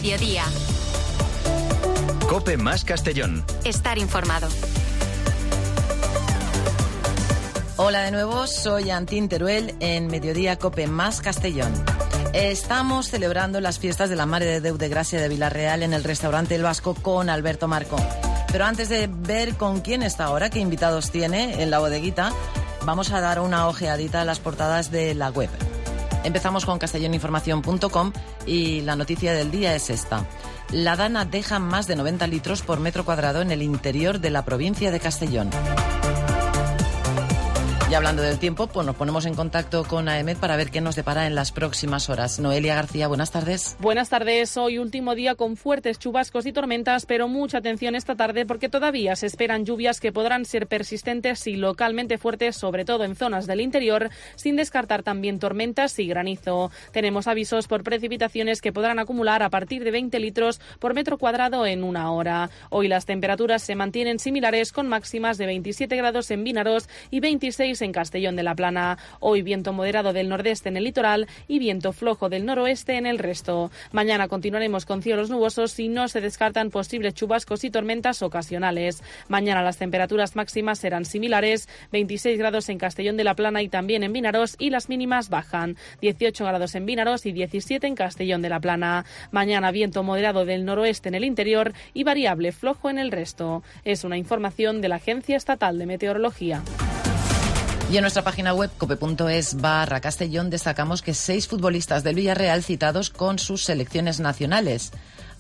Mediodía. COPE más Castellón. Estar informado. Hola de nuevo, soy Antín Teruel en Mediodía COPE más Castellón. Estamos celebrando las fiestas de la Mare de Déu de Gràcia de Vila-real en el restaurante El Vasco con Alberto Marco. Pero antes de ver con quién está ahora, qué invitados tiene en la bodeguita, vamos a dar una ojeadita a las portadas de la web. Empezamos con castelloninformación.com y la noticia del día es esta. La Dana deja más de 90 litros por metro cuadrado en el interior de la provincia de Castellón. Y hablando del tiempo, pues nos ponemos en contacto con AEMET para ver qué nos depara en las próximas horas. Noelia García, buenas tardes. Buenas tardes. Hoy último día con fuertes chubascos y tormentas, pero mucha atención esta tarde porque todavía se esperan lluvias que podrán ser persistentes y localmente fuertes, sobre todo en zonas del interior, sin descartar también tormentas y granizo. Tenemos avisos por precipitaciones que podrán acumular a partir de 20 litros por metro cuadrado en una hora. Hoy las temperaturas se mantienen similares con máximas de 27 grados en Vinaroz y 26 en Castellón de la Plana. Hoy viento moderado del nordeste en el litoral y viento flojo del noroeste en el resto. Mañana continuaremos con cielos nubosos y no se descartan posibles chubascos y tormentas ocasionales. Mañana las temperaturas máximas serán similares, 26 grados en Castellón de la Plana y también en Vinaroz, y las mínimas bajan, 18 grados en Vinaroz y 17 en Castellón de la Plana. Mañana viento moderado del noroeste en el interior y variable flojo en el resto. Es una información de la Agencia Estatal de Meteorología. Y en nuestra página web cope.es/Castellón destacamos que 6 futbolistas del Villarreal citados con sus selecciones nacionales.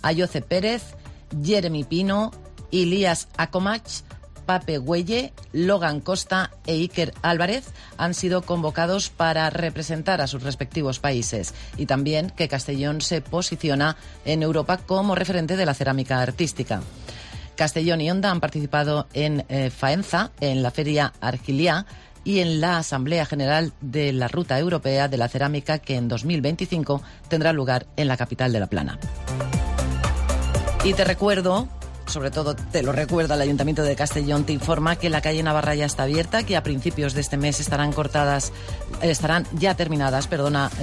Ayoce Pérez, Jeremy Pino, Ilías Akomach, Pape Güelle, Logan Costa e Iker Álvarez han sido convocados para representar a sus respectivos países. Y también que Castellón se posiciona en Europa como referente de la cerámica artística. Castellón y Onda han participado en Faenza, en la Feria Argiliá, y en la Asamblea General de la Ruta Europea de la Cerámica, que en 2025 tendrá lugar en la capital de La Plana. Y te recuerdo, sobre todo te lo recuerda el Ayuntamiento de Castellón, te informa que la calle Navarra ya está abierta, que a principios de este mes estarán ya terminadas,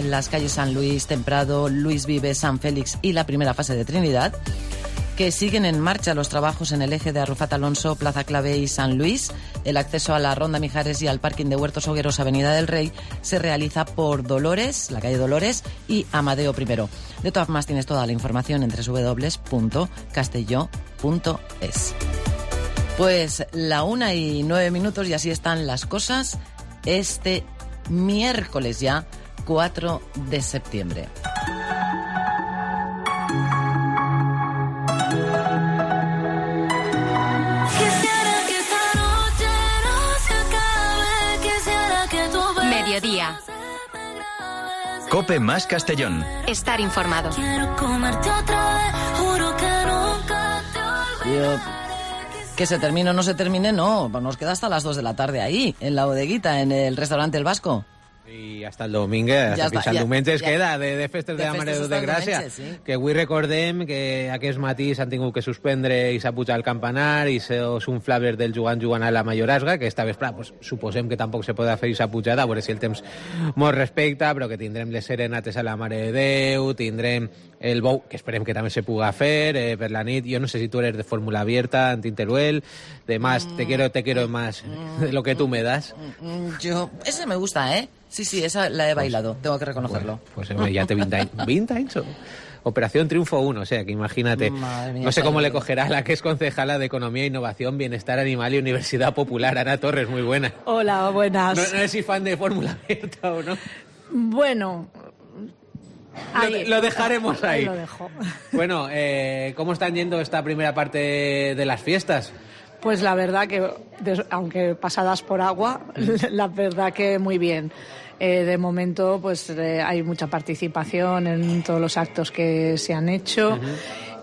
las calles San Luis, Temprado, Luis Vives, San Félix y la primera fase de Trinidad, que siguen en marcha los trabajos en el eje de Arrufat Alonso, Plaza Clavé y San Luis. El acceso a la Ronda Mijares y al parking de Huertos Hogueros, Avenida del Rey, se realiza por Dolores, la calle Dolores, y Amadeo I. De todas formas, tienes toda la información en www.castelló.es. Pues 1:09 y así están las cosas este miércoles ya, 4 de septiembre. Mediodía. COPE más Castellón. Estar informado. Que se termine o no se termine, no. Nos queda hasta las 2 de la tarde ahí, en la bodeguita, en el restaurante El Vasco. I hasta el domingue, fins al diumenge es queda de festes de la Mare de Déu de Gràcia, sí. Que avui recordem que aquest matí s'han tingut que suspendre i s'ha pujat el campanar i és un flaver del jugant a la Mayorazga, que esta vesprada pues, suposem que tampoc se podrà fer aquesta pujada, a veure si el temps mos respecta, però que tindrem les serenates a la Mare de Déu, tindrem el bou, que esperem que també se puga fer per la nit. Jo no sé si tu eres de fórmula abierta, Antín Teruel, de más, te quiero más de lo que tú me das. Ese me gusta, ¿eh? Sí, esa la he bailado, tengo que reconocerlo. Pues ya te 20 años. Operación Triunfo 1, o sea, que imagínate. Mía, no sé cómo le cogerá la que es concejala de Economía, Innovación, Bienestar Animal y Universidad Popular, Ana Torres, muy buena. Hola, buenas. No sé si fan de fórmula abierta o no. Bueno, lo dejaremos ahí. Lo dejo. Bueno, ¿cómo están yendo esta primera parte de las fiestas? Pues la verdad que, aunque pasadas por agua, la verdad que muy bien. De momento, pues hay mucha participación en todos los actos que se han hecho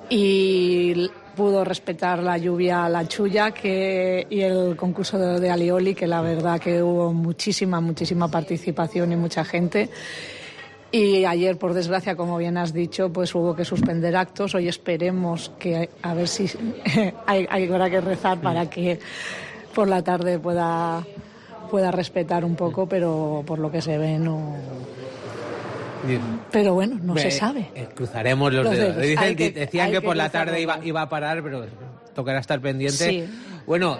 y pudo respetar la lluvia la Chulla y el concurso de Alioli, que la verdad que hubo muchísima participación y mucha gente. Y ayer, por desgracia, como bien has dicho, pues hubo que suspender actos. Hoy esperemos que, a ver si habrá que rezar para que por la tarde pueda respetar un poco, pero por lo que se ve no Pero bueno, no se sabe. Cruzaremos los dedos. Decían que por la tarde iba a parar, pero tocará estar pendiente. Sí. Bueno,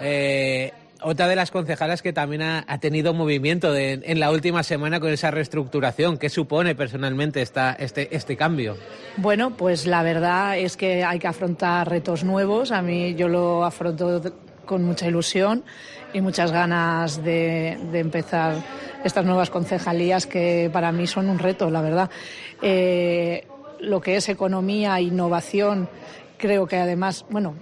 otra de las concejalas que también ha tenido movimiento en la última semana con esa reestructuración. ¿Qué supone personalmente este cambio? Bueno, pues la verdad es que hay que afrontar retos nuevos. A mí yo lo afronto con mucha ilusión y muchas ganas de empezar estas nuevas concejalías que para mí son un reto, la verdad. Lo que es economía e innovación, creo que además, bueno,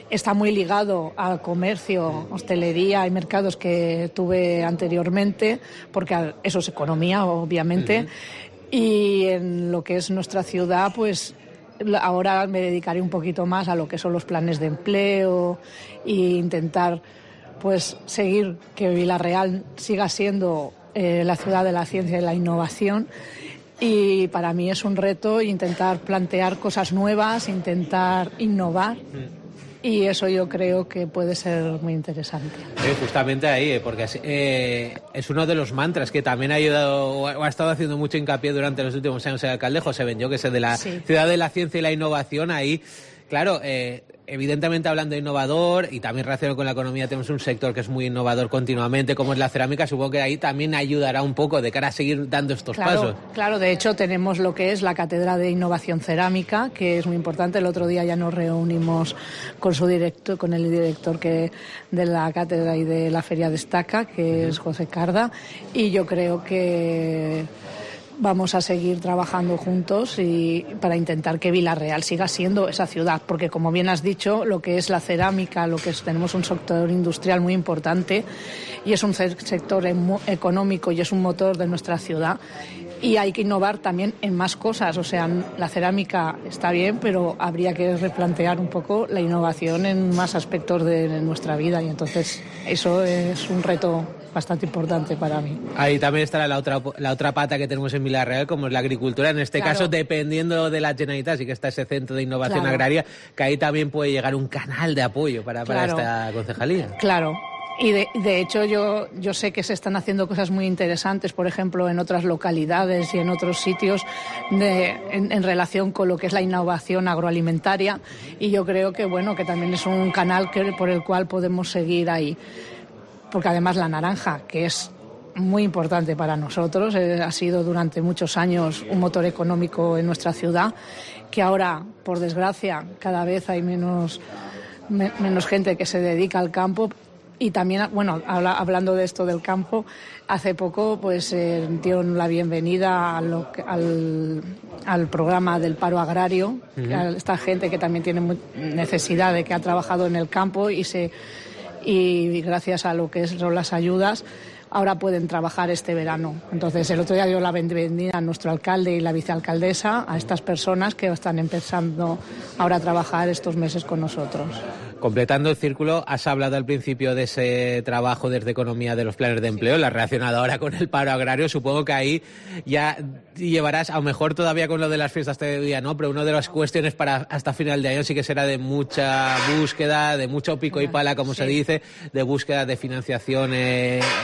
está muy ligado al comercio, hostelería y mercados que tuve anteriormente, porque eso es economía, obviamente. Y en lo que es nuestra ciudad, pues ahora me dedicaré un poquito más a lo que son los planes de empleo e intentar pues seguir que Vila-real siga siendo la ciudad de la ciencia y la innovación. Y para mí es un reto intentar plantear cosas nuevas, intentar innovar. Y eso yo creo que puede ser muy interesante. Justamente ahí, porque es uno de los mantras que también ha ayudado o ha estado haciendo mucho hincapié durante los últimos años el alcalde José Benllo, que es el de la ciudad de la ciencia y la innovación. Ahí, claro, evidentemente hablando de innovador y también relacionado con la economía, tenemos un sector que es muy innovador continuamente, como es la cerámica. Supongo que ahí también ayudará un poco de cara a seguir dando estos pasos. Claro, de hecho tenemos lo que es la Cátedra de Innovación Cerámica, que es muy importante. El otro día ya nos reunimos con el director de la cátedra y de la Feria Destaca, que es José Carda, y yo creo que vamos a seguir trabajando juntos y para intentar que Vila-real siga siendo esa ciudad, porque como bien has dicho, lo que es la cerámica, tenemos un sector industrial muy importante y es un sector económico y es un motor de nuestra ciudad. Y hay que innovar también en más cosas, o sea, la cerámica está bien, pero habría que replantear un poco la innovación en más aspectos de nuestra vida, y entonces eso es un reto bastante importante para mí. Ahí también estará la otra pata que tenemos en Vila-real, como es la agricultura. En este caso, dependiendo de la Generalitat, sí que está ese centro de innovación agraria, que ahí también puede llegar un canal de apoyo para esta concejalía. Claro. Y de hecho yo sé que se están haciendo cosas muy interesantes, por ejemplo, en otras localidades y en otros sitios en relación con lo que es la innovación agroalimentaria, y yo creo que que también es un canal por el cual podemos seguir ahí. Porque además la naranja, que es muy importante para nosotros, ha sido durante muchos años un motor económico en nuestra ciudad, que ahora, por desgracia, cada vez hay menos gente que se dedica al campo. Y también, hablando de esto del campo, hace poco dieron la bienvenida al programa del paro agrario, a esta gente que también tiene necesidad de que ha trabajado en el campo y gracias a lo que son las ayudas, ahora pueden trabajar este verano. Entonces, el otro día dio la bienvenida a nuestro alcalde y la vicealcaldesa a estas personas que están empezando ahora a trabajar estos meses con nosotros. Completando el círculo, has hablado al principio de ese trabajo desde economía de los planes de empleo, la relacionada ahora con el paro agrario. Supongo que ahí ya llevarás, a lo mejor todavía con lo de las fiestas todavía no, pero una de las cuestiones para hasta final de año sí que será de mucha búsqueda, de mucho pico y pala, como se dice, de búsqueda de financiación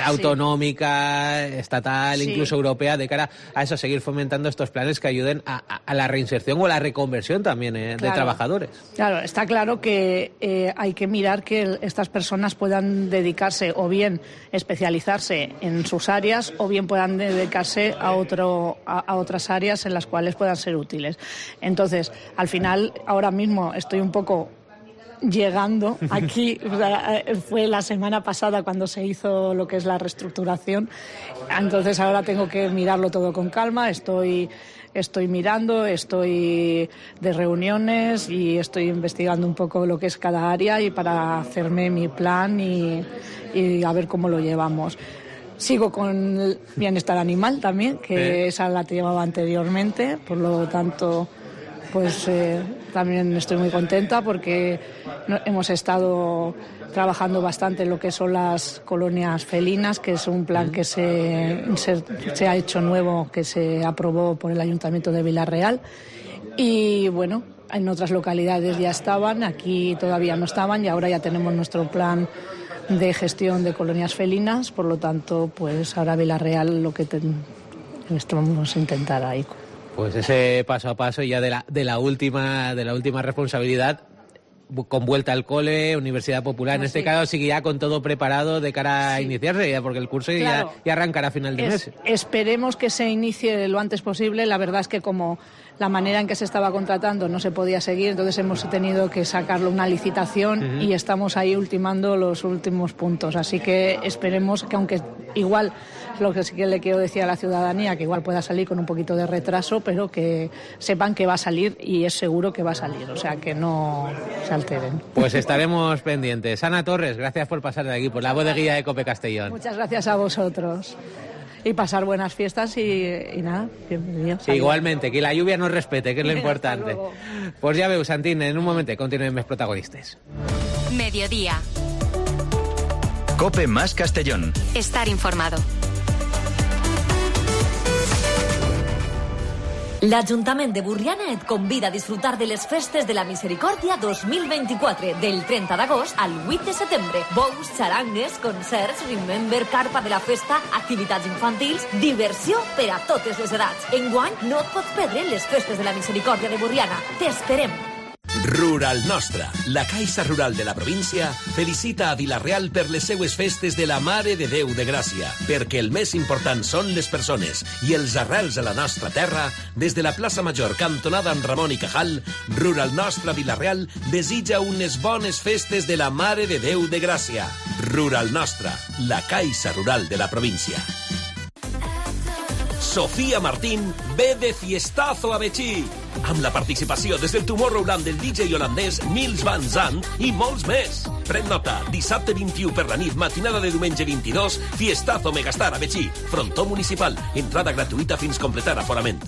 autonómica, estatal, incluso europea, de cara a eso, seguir fomentando estos planes que ayuden a la reinserción o a la reconversión también de trabajadores. Claro, está claro que hay que mirar que estas personas puedan dedicarse o bien especializarse en sus áreas o bien puedan dedicarse a otras áreas en las cuales puedan ser útiles. Entonces, al final, ahora mismo estoy un poco llegando aquí, fue la semana pasada cuando se hizo lo que es la reestructuración, entonces ahora tengo que mirarlo todo con calma. Estoy mirando, estoy de reuniones y estoy investigando un poco lo que es cada área y para hacerme mi plan y a ver cómo lo llevamos. Sigo con el bienestar animal también, que esa la llevaba anteriormente, por lo tanto también estoy muy contenta porque hemos estado trabajando bastante en lo que son las colonias felinas, que es un plan que se ha hecho nuevo, que se aprobó por el Ayuntamiento de Vila-real. Y en otras localidades ya estaban, aquí todavía no estaban y ahora ya tenemos nuestro plan de gestión de colonias felinas. Por lo tanto, ahora Vila-real lo que vamos a intentar ahí. Pues ese paso a paso ya de la última responsabilidad, con vuelta al cole, Universidad Popular, en este caso sigue ya con todo preparado de cara a iniciarse, ya porque el curso ya arrancará a final de mes. Esperemos que se inicie lo antes posible. La verdad es que como la manera en que se estaba contratando no se podía seguir, entonces hemos tenido que sacarlo una licitación y estamos ahí ultimando los últimos puntos. Así que esperemos que, aunque igual, lo que sí que le quiero decir a la ciudadanía, que igual pueda salir con un poquito de retraso, pero que sepan que va a salir y es seguro que va a salir, o sea, que no se alteren. Pues estaremos pendientes. Ana Torres, gracias por pasar de aquí, por la bodeguilla de Cope Castellón. Muchas gracias a vosotros. Y pasar buenas fiestas y nada, bienvenido. Sí, igualmente, que la lluvia nos respete, que es lo importante. Pues ya veu, Santín, en un momento continúen mis protagonistas. Mediodía. Cope más Castellón. Estar informado. L'Ajuntament de Borriana et convida a disfrutar de les Festes de la Misericòrdia 2024, del 30 d'agost al 8 de setembre. Bous, xarangues, concerts, remember, carpa de la festa, activitats infantils, diversió per a totes les edats. Enguany no et pots perdre les Festes de la Misericòrdia de Borriana. T'esperem! Rural Nostra, la Caixa Rural de la província, felicita a Vila-real per les seues festes de la Mare de Déu de Gràcia, perquè el més important són les persones i els arrels a la nostra terra. Des de la plaça Major, cantonada amb Ramon i Cajal, Rural Nostra Vila-real desitja unes bones festes de la Mare de Déu de Gràcia. Rural Nostra, la Caixa Rural de la província. Sofía Martín ve de fiestazo a Betxí, amb la participació des del Tomorrowland del DJ holandès Nils Van Zandt i molts més. Pren nota, dissabte 21 per la nit, matinada de diumenge 22, fiestazo Megastar a Betxí, frontó municipal, entrada gratuïta fins completar aforament.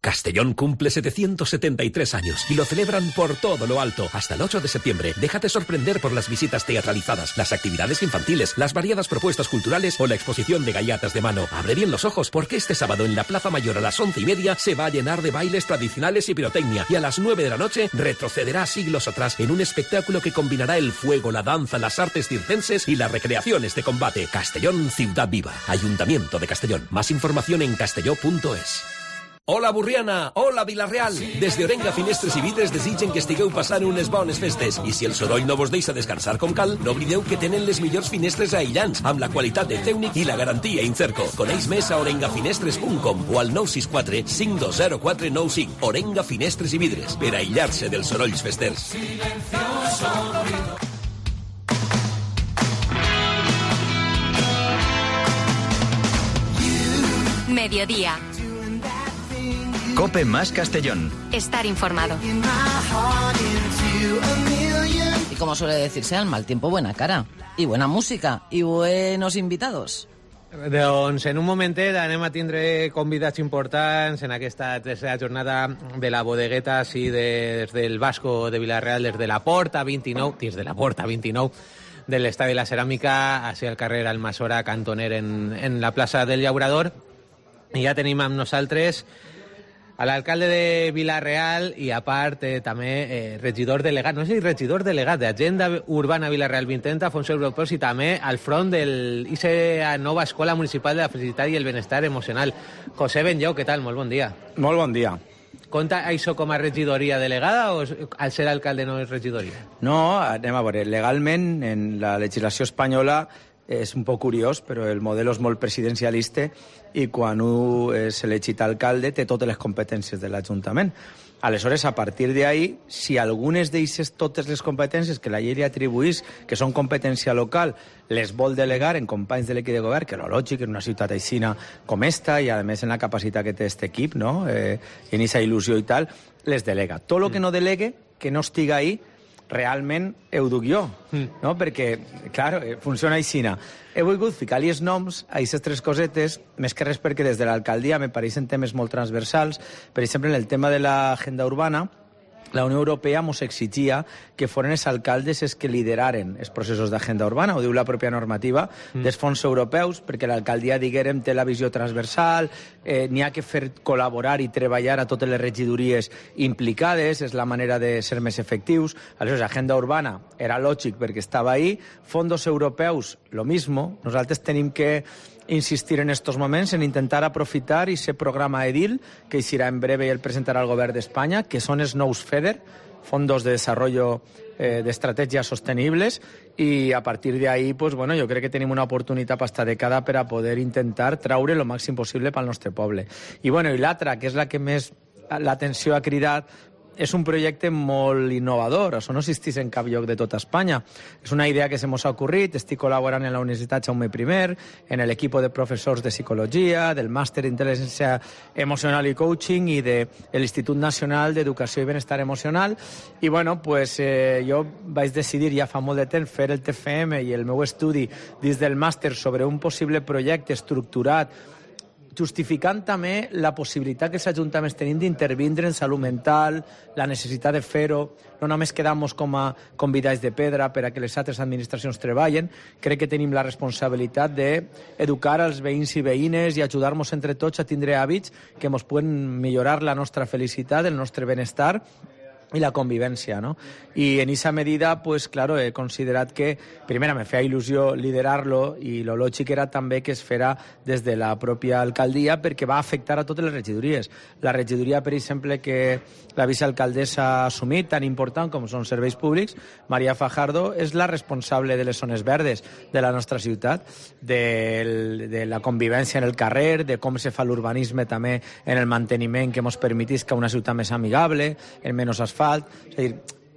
Castellón cumple 773 años y lo celebran por todo lo alto. Hasta el 8 de septiembre, déjate sorprender por las visitas teatralizadas, las actividades infantiles, las variadas propuestas culturales o la exposición de gallatas de mano. Abre bien los ojos porque este sábado en la Plaza Mayor a las 11:30 se va a llenar de bailes tradicionales y pirotecnia, y a las 9 de la noche retrocederá siglos atrás en un espectáculo que combinará el fuego, la danza, las artes circenses y las recreaciones de combate. Castellón, ciudad viva. Ayuntamiento de Castellón. Más información en castelló.es. Hola Borriana, hola Vila-real. Des d'Orenga Finestres i Vidres desitgen que estigueu passant unes bones festes. I si el soroll no vos deixa descansar com cal, no oblideu que tenen les millors finestres aïllants, amb la qualitat de Tècnic i la garantia Incerco. Coneix més a orengafinestres.com o al 964 520495. Orenga Finestres i Vidres, per aïllar-se dels sorolls festers. Mediodía. Cope más Castellón. Estar informado. Y como suele decirse, al mal tiempo buena cara. I buena música. I buenos invitados. Doncs en un momentet anem a tindre convidats importants en aquesta tercera jornada de la bodegueta, així des del Vasco de Vila-real, des de la Porta 29, de l'Estadi de la Ceràmica, així al carrer Almassora Cantoner en la plaça del Llaurador. I ja tenim amb nosaltres a l'alcalde de Vila-real i, a part, també regidor delegat, no sé si regidor delegat d'Agenda Urbana Vila-real 2030, fons europeus, i també al front de la nova Escola Municipal de la Felicitat i el Benestar Emocional. José Benllau, què tal? Molt bon dia. Molt bon dia. Compta això com a regidoria delegada o al ser alcalde no és regidoria? No, anem a veure. Legalment, en la legislació espanyola, és un poc curiós, però el model és molt presidencialista i quan un és elegit alcalde té totes les competències de l'Ajuntament. Aleshores, a partir d'ahí, si algunes d'eixes totes les competències que la llei li atribuís, que són competència local, les vol delegar en companys de l'equip de govern, que és lògic en una ciutat aixina com esta, i a més en la capacitat que té aquest equip, no? En aquesta il·lusió i tal, les delega. Tot el que no delegue, que no estiga ahí, realment ho duc jo, no? Perquè, clar, funciona aixina. He volgut ficar-li els noms a aquestes tres cosetes, més que res perquè des de l'alcaldia me pareixen temes molt transversals. Per exemple, en el tema de l'agenda urbana, la Unió Europea ens exigia que foren els alcaldes els que lideraren els processos d'agenda urbana, ho diu la pròpia normativa dels fons europeus, perquè l'alcaldia, diguérem, té la visió transversal, n'hi ha que fer col·laborar i treballar a totes les regidories implicades, és la manera de ser més efectius. Aleshores, agenda urbana era lògic perquè estava ahí, fondos europeus, lo mismo, nosaltres tenim que insistir en estos moments en intentar aprofitar ese programa EDIL, que eixirà en breve i el presentarà el govern d'Espanya, que són els nous FEDER, Fondos de Desarrollo de Estratègies Sostenibles, i a partir d'ahí, pues, bueno, jo crec que tenim una oportunitat per esta dècada per a poder intentar traure el màxim possible pel nostre poble. I, bueno, i l'altra, que és la que més l'atenció ha cridat, és un projecte molt innovador, això no existeix en cap lloc de tota Espanya. És una idea que se mos ha ocorrit, estic col·laborant en la Universitat Jaume I, en l'equip de professors de psicologia, del màster d'intel·ligència emocional i coaching i de l'Institut Nacional d'Educació i Benestar Emocional. I bueno, pues, jo vaig decidir ja fa molt de temps fer el TFM i el meu estudi dins del màster sobre un possible projecte estructurat, justificant també la possibilitat que els ajuntaments tenim d'intervindre en salut mental, la necessitat de fer-ho, no només quedar-nos com a convidats de pedra per a que les altres administracions treballen. Crec que tenim la responsabilitat d'educar els veïns i veïnes i ajudar-nos entre tots a tindre hàbits que ens poden millorar la nostra felicitat, el nostre benestar i la convivència, no? I en esa medida, pues claro, he considerat que, primera, me feia il·lusió liderar-lo i lo lògic era també que es fera des de la pròpia alcaldia perquè va afectar a totes les regidories. La regidoria, per exemple, que la vicealcaldessa ha assumit, tan important com són serveis públics, Maria Fajardo, és la responsable de les zones verdes de la nostra ciutat, de la convivència en el carrer, de com se fa l'urbanisme també en el manteniment que ens permetisca una ciutat més amigable, en menys asfalt. És a dir,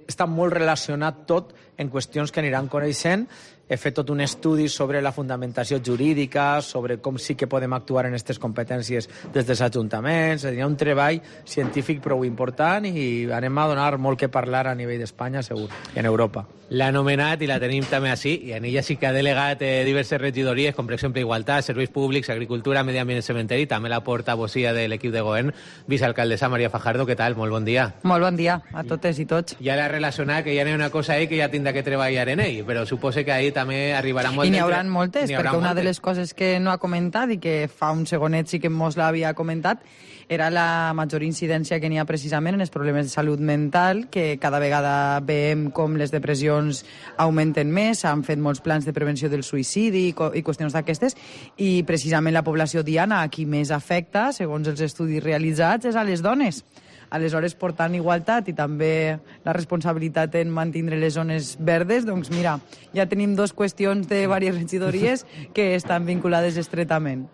està molt relacionat tot en qüestions que aniran coneixent. He fet tot un estudi sobre la fundamentació jurídica, sobre com sí que podem actuar en aquestes competències des dels ajuntaments. Hi ha un treball científic prou important i anem a donar molt que parlar a nivell d'Espanya, segur, i en Europa. L'ha anomenat i la tenim també així, i en ella sí que ha delegat diverses regidories, com per exemple Igualtat, Serveis Públics, Agricultura, Medi Ambient i Cementeri, també la portavocia de l'equip de govern, vicealcaldessa Maria Fajardo. Què tal? Molt bon dia. Molt bon dia a totes i tots. Ja l'ha relacionat que hi ha una cosa ahí que ja tindrà que treballar en ell, però suposo que ahí també arribarà molt... I n'hi haurà moltes, perquè una de les coses que no ha comentat i que fa un segonet sí que mos l'havia comentat era la major incidència que n'hi ha precisament en els problemes de salut mental, que cada vegada veiem com les depressions augmenten més, s'han fet molts plans de prevenció del suïcidi i qüestions d'aquestes, i precisament la població diana a qui més afecta, segons els estudis realitzats, és a les dones. Aleshores, portant igualtat i també la responsabilitat en mantenir les zones verdes, doncs mira, ja tenim dues qüestions de diverses regidories que estan vinculades estretament.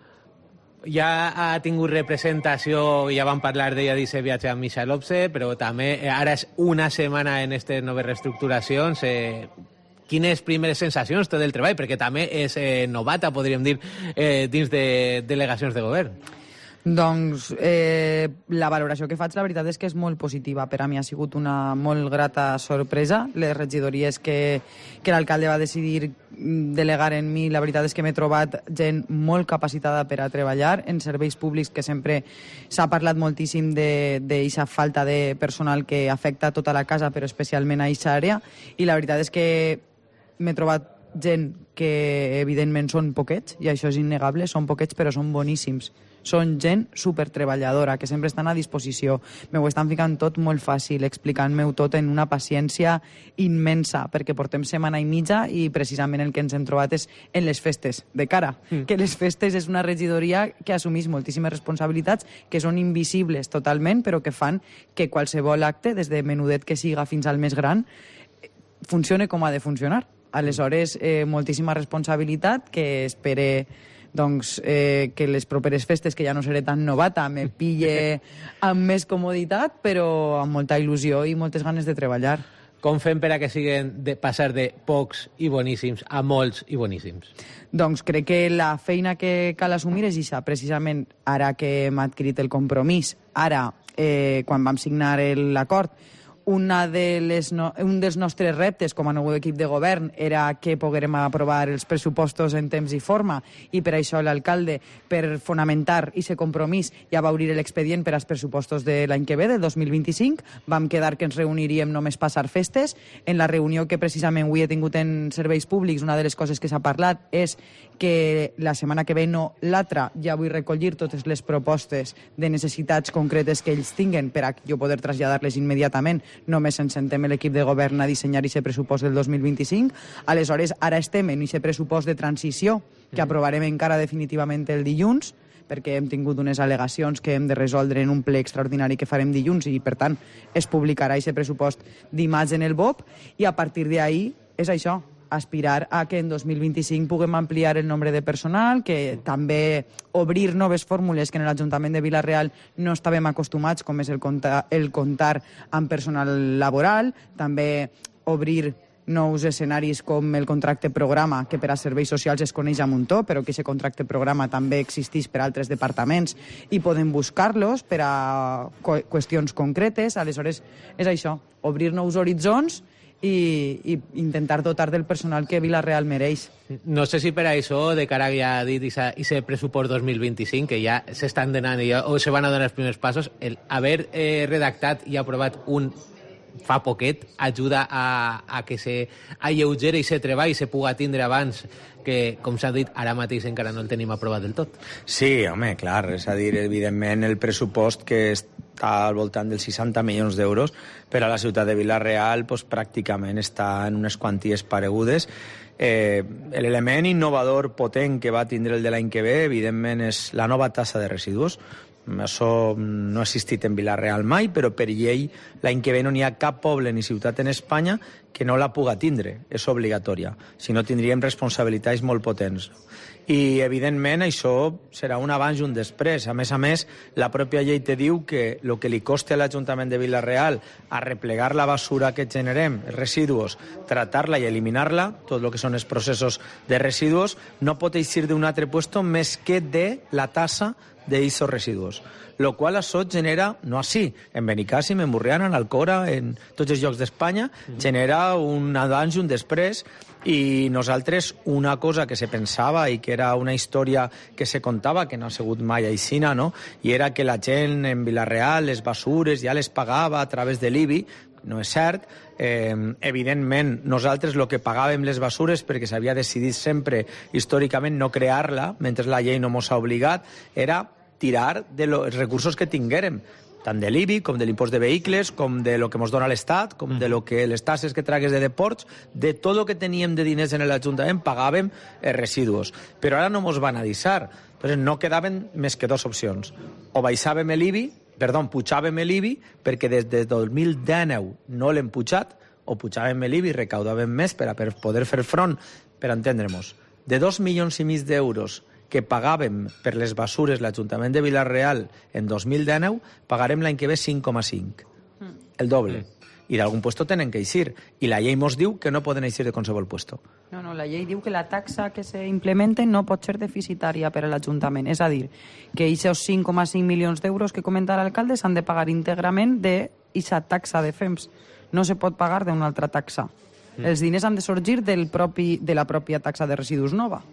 Ja ha tingut representació, ja vam parlar d'ella d'aquest viatge amb Michel Opse, però també ara és una setmana en aquestes noves reestructuracions. Quines primeres sensacions té del treball? Perquè també és novata, podríem dir, dins de delegacions de govern. Doncs la valoració que faig, la veritat és que és molt positiva. Per a mi ha sigut una molt grata sorpresa. Les regidories que l'alcalde va decidir delegar en mi, la veritat és que m'he trobat gent molt capacitada per a treballar en serveis públics, que sempre s'ha parlat moltíssim d'aquesta falta de personal que afecta tota la casa, però especialment a aquesta àrea, i la veritat és que m'he trobat gent que evidentment són poquets, i això és innegable, són poquets però són boníssims. Són gent supertreballadora, que sempre estan a disposició. M'ho estan ficant tot molt fàcil, explicant-m'ho tot en una paciència immensa, perquè portem setmana i mitja i precisament el que ens hem trobat és en les festes, de cara. Que les festes és una regidoria que assumeix moltíssimes responsabilitats, que són invisibles totalment, però que fan que qualsevol acte, des de menudet que siga fins al més gran, funcione com ha de funcionar. Aleshores, moltíssima responsabilitat que espere doncs, que les properes festes, que ja no seré tan novata, me pille amb més comoditat, però amb molta il·lusió i moltes ganes de treballar. Com fem per a que siguin passar de pocs i boníssims a molts i boníssims? Doncs crec que la feina que cal assumir és això, precisament ara que hem adquirit el compromís, ara, quan vam signar l'acord, un dels nostres reptes com a nou equip de govern era que poguérem aprovar els pressupostos en temps i forma, i per això l'alcalde, per fonamentar aquest compromís, ja va obrir l'expedient per als pressupostos de l'any que ve, del 2025. Vam quedar que ens reuniríem només passar festes. En la reunió que precisament avui he tingut en serveis públics, una de les coses que s'ha parlat és que la setmana que ve, no l'altra, ja vull recollir totes les propostes de necessitats concretes que ells tinguen per a jo poder traslladar-les immediatament només ens sentem l'equip de govern a dissenyar aquest pressupost del 2025. Aleshores, ara estem en aquest pressupost de transició que aprovarem encara definitivament el dilluns, perquè hem tingut unes al·legacions que hem de resoldre en un ple extraordinari que farem dilluns i, per tant, es publicarà aquest pressupost dimarts en el BOP i a partir d'ahí és això, aspirar a que en 2025 puguem ampliar el nombre de personal, que també obrir noves fórmules que en l'Ajuntament de Vila-real no estàvem acostumats, com és el comptar amb personal laboral, també obrir nous escenaris com el contracte programa, que per a serveis socials es coneix a muntó, però que aquest contracte programa també existeix per a altres departaments i podem buscar-los per a qüestions concretes. Aleshores, és això, obrir nous horitzons i intentar dotar del personal que Vila-real mereix. No sé si per això, de cara ja ha dit aquest pressupost 2025, que ja s'estan donant o se van a donar els primers passos, el haver redactat i aprovat un fa poquet ajuda a que se alleugeri i se treball i se puga tindre abans que, com s'ha dit, ara mateix encara no el tenim aprovat del tot. Sí, home, clar, és a dir, evidentment el pressupost que està al voltant dels 60 milions d'euros per a la ciutat de Vila-real pues, pràcticament està en unes quanties paregudes. L'element innovador potent que va tindre el de l'any que ve, evidentment, és la nova tassa de residus. Això no ha existit en Vila-real mai, però per llei l'any que ve no n'hi ha cap poble ni ciutat en Espanya que no la puga tindre, és obligatòria. Si no, tindríem responsabilitats molt potents. I, evidentment, això serà un abans i un després. A més, la pròpia llei te diu que el que li costa a l'Ajuntament de Vila-real a replegar la basura que generem, els residus, tratar-la i eliminar-la, tot el que són els processos de residus, no pot eixir d'un altre puesto més que de la tassa d'eixos residus. Lo qual això genera, no així, en Benicàssim, en Borriana, en Alcora, en tots els llocs d'Espanya, genera un abans i un després. I nosaltres, una cosa que se pensava i que era una història que se contava, que no ha sigut mai aixina, no? I era que la gent en Vila-real les basures ja les pagava a través de l'IBI. No és cert. Evidentment, nosaltres el que pagàvem les basures, perquè s'havia decidit sempre històricament no crear-la, mentre la llei no mos ha obligat, era tirar dels recursos que tinguérem, tant de l'IBI, com de l'impost de vehicles, com de lo que ens dona l'Estat, com de lo que les tasses que tragues de deports, de tot el que teníem de diners en l'Ajuntament, pagàvem residus. Però ara no ens van avisar. Entonces no quedaven més que dues opcions. O baixàvem l'IBI, pujàvem l'IBI, perquè des de 2019 no l'hem pujat, o pujàvem l'IBI i recaudàvem més per a poder fer front, per entendre-nos, de 2,5 milions d'euros que pagàvem per les basures l'Ajuntament de Vila-real en 2019, pagarem l'any que ve 5,5. El doble. I d'algun puesto tenen que eixir. I la llei mos diu que no poden eixir de qualsevol puesto. No, la llei diu que la taxa que s'implemente no pot ser deficitària per a l'Ajuntament. És a dir, que aquests 5,5 milions d'euros que comenta l'alcalde s'han de pagar íntegrament d'aquesta taxa de FEMS. No se pot pagar d'una altra taxa. Els diners han de sorgir de la pròpia taxa de residus nova.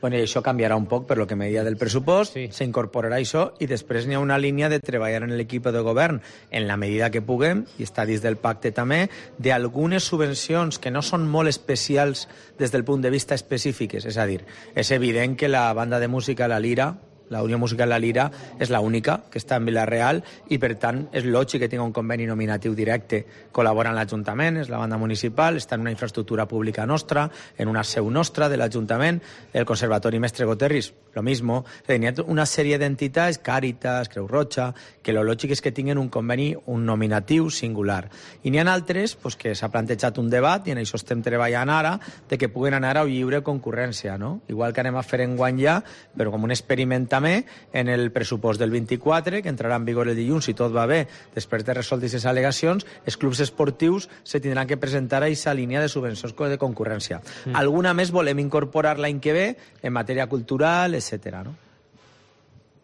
Bueno, i això canviarà un poc per lo que me deia del pressupost, s'incorporarà això i després n'hi ha una línia de treballar en l'equip de govern en la medida que puguem, i està dins del pacte també, d'algunes subvencions que no són molt especials des del punt de vista específiques. És a dir, és evident que la banda de música La Lira, la Unió Musical La Lira, és l'única que està en Vila-real i, per tant, és lògic que tingui un conveni nominatiu directe. Col·labora amb l'Ajuntament, és la banda municipal, està en una infraestructura pública nostra, en una seu nostra de l'Ajuntament, el Conservatori Mestre Goterris, lo mismo. Hi ha una sèrie d'entitats, Càritas, Creu Roja, que lo lògic és que tinguin un conveni, un nominatiu singular. I n'hi ha altres que s'ha plantejat un debat, i en això estem treballant ara, de que puguen anar a lliure concurrència, no? Igual que anem a fer enguany ja, però com un experiment en el pressupost del 24, que entrarà en vigor el dilluns, si tot va bé, després de resoldre aquestes al·legacions, els clubs esportius se tindran que presentar a aquesta línia de subvencions de concurrència. Alguna més volem incorporar l'any que ve en matèria cultural, etc. No?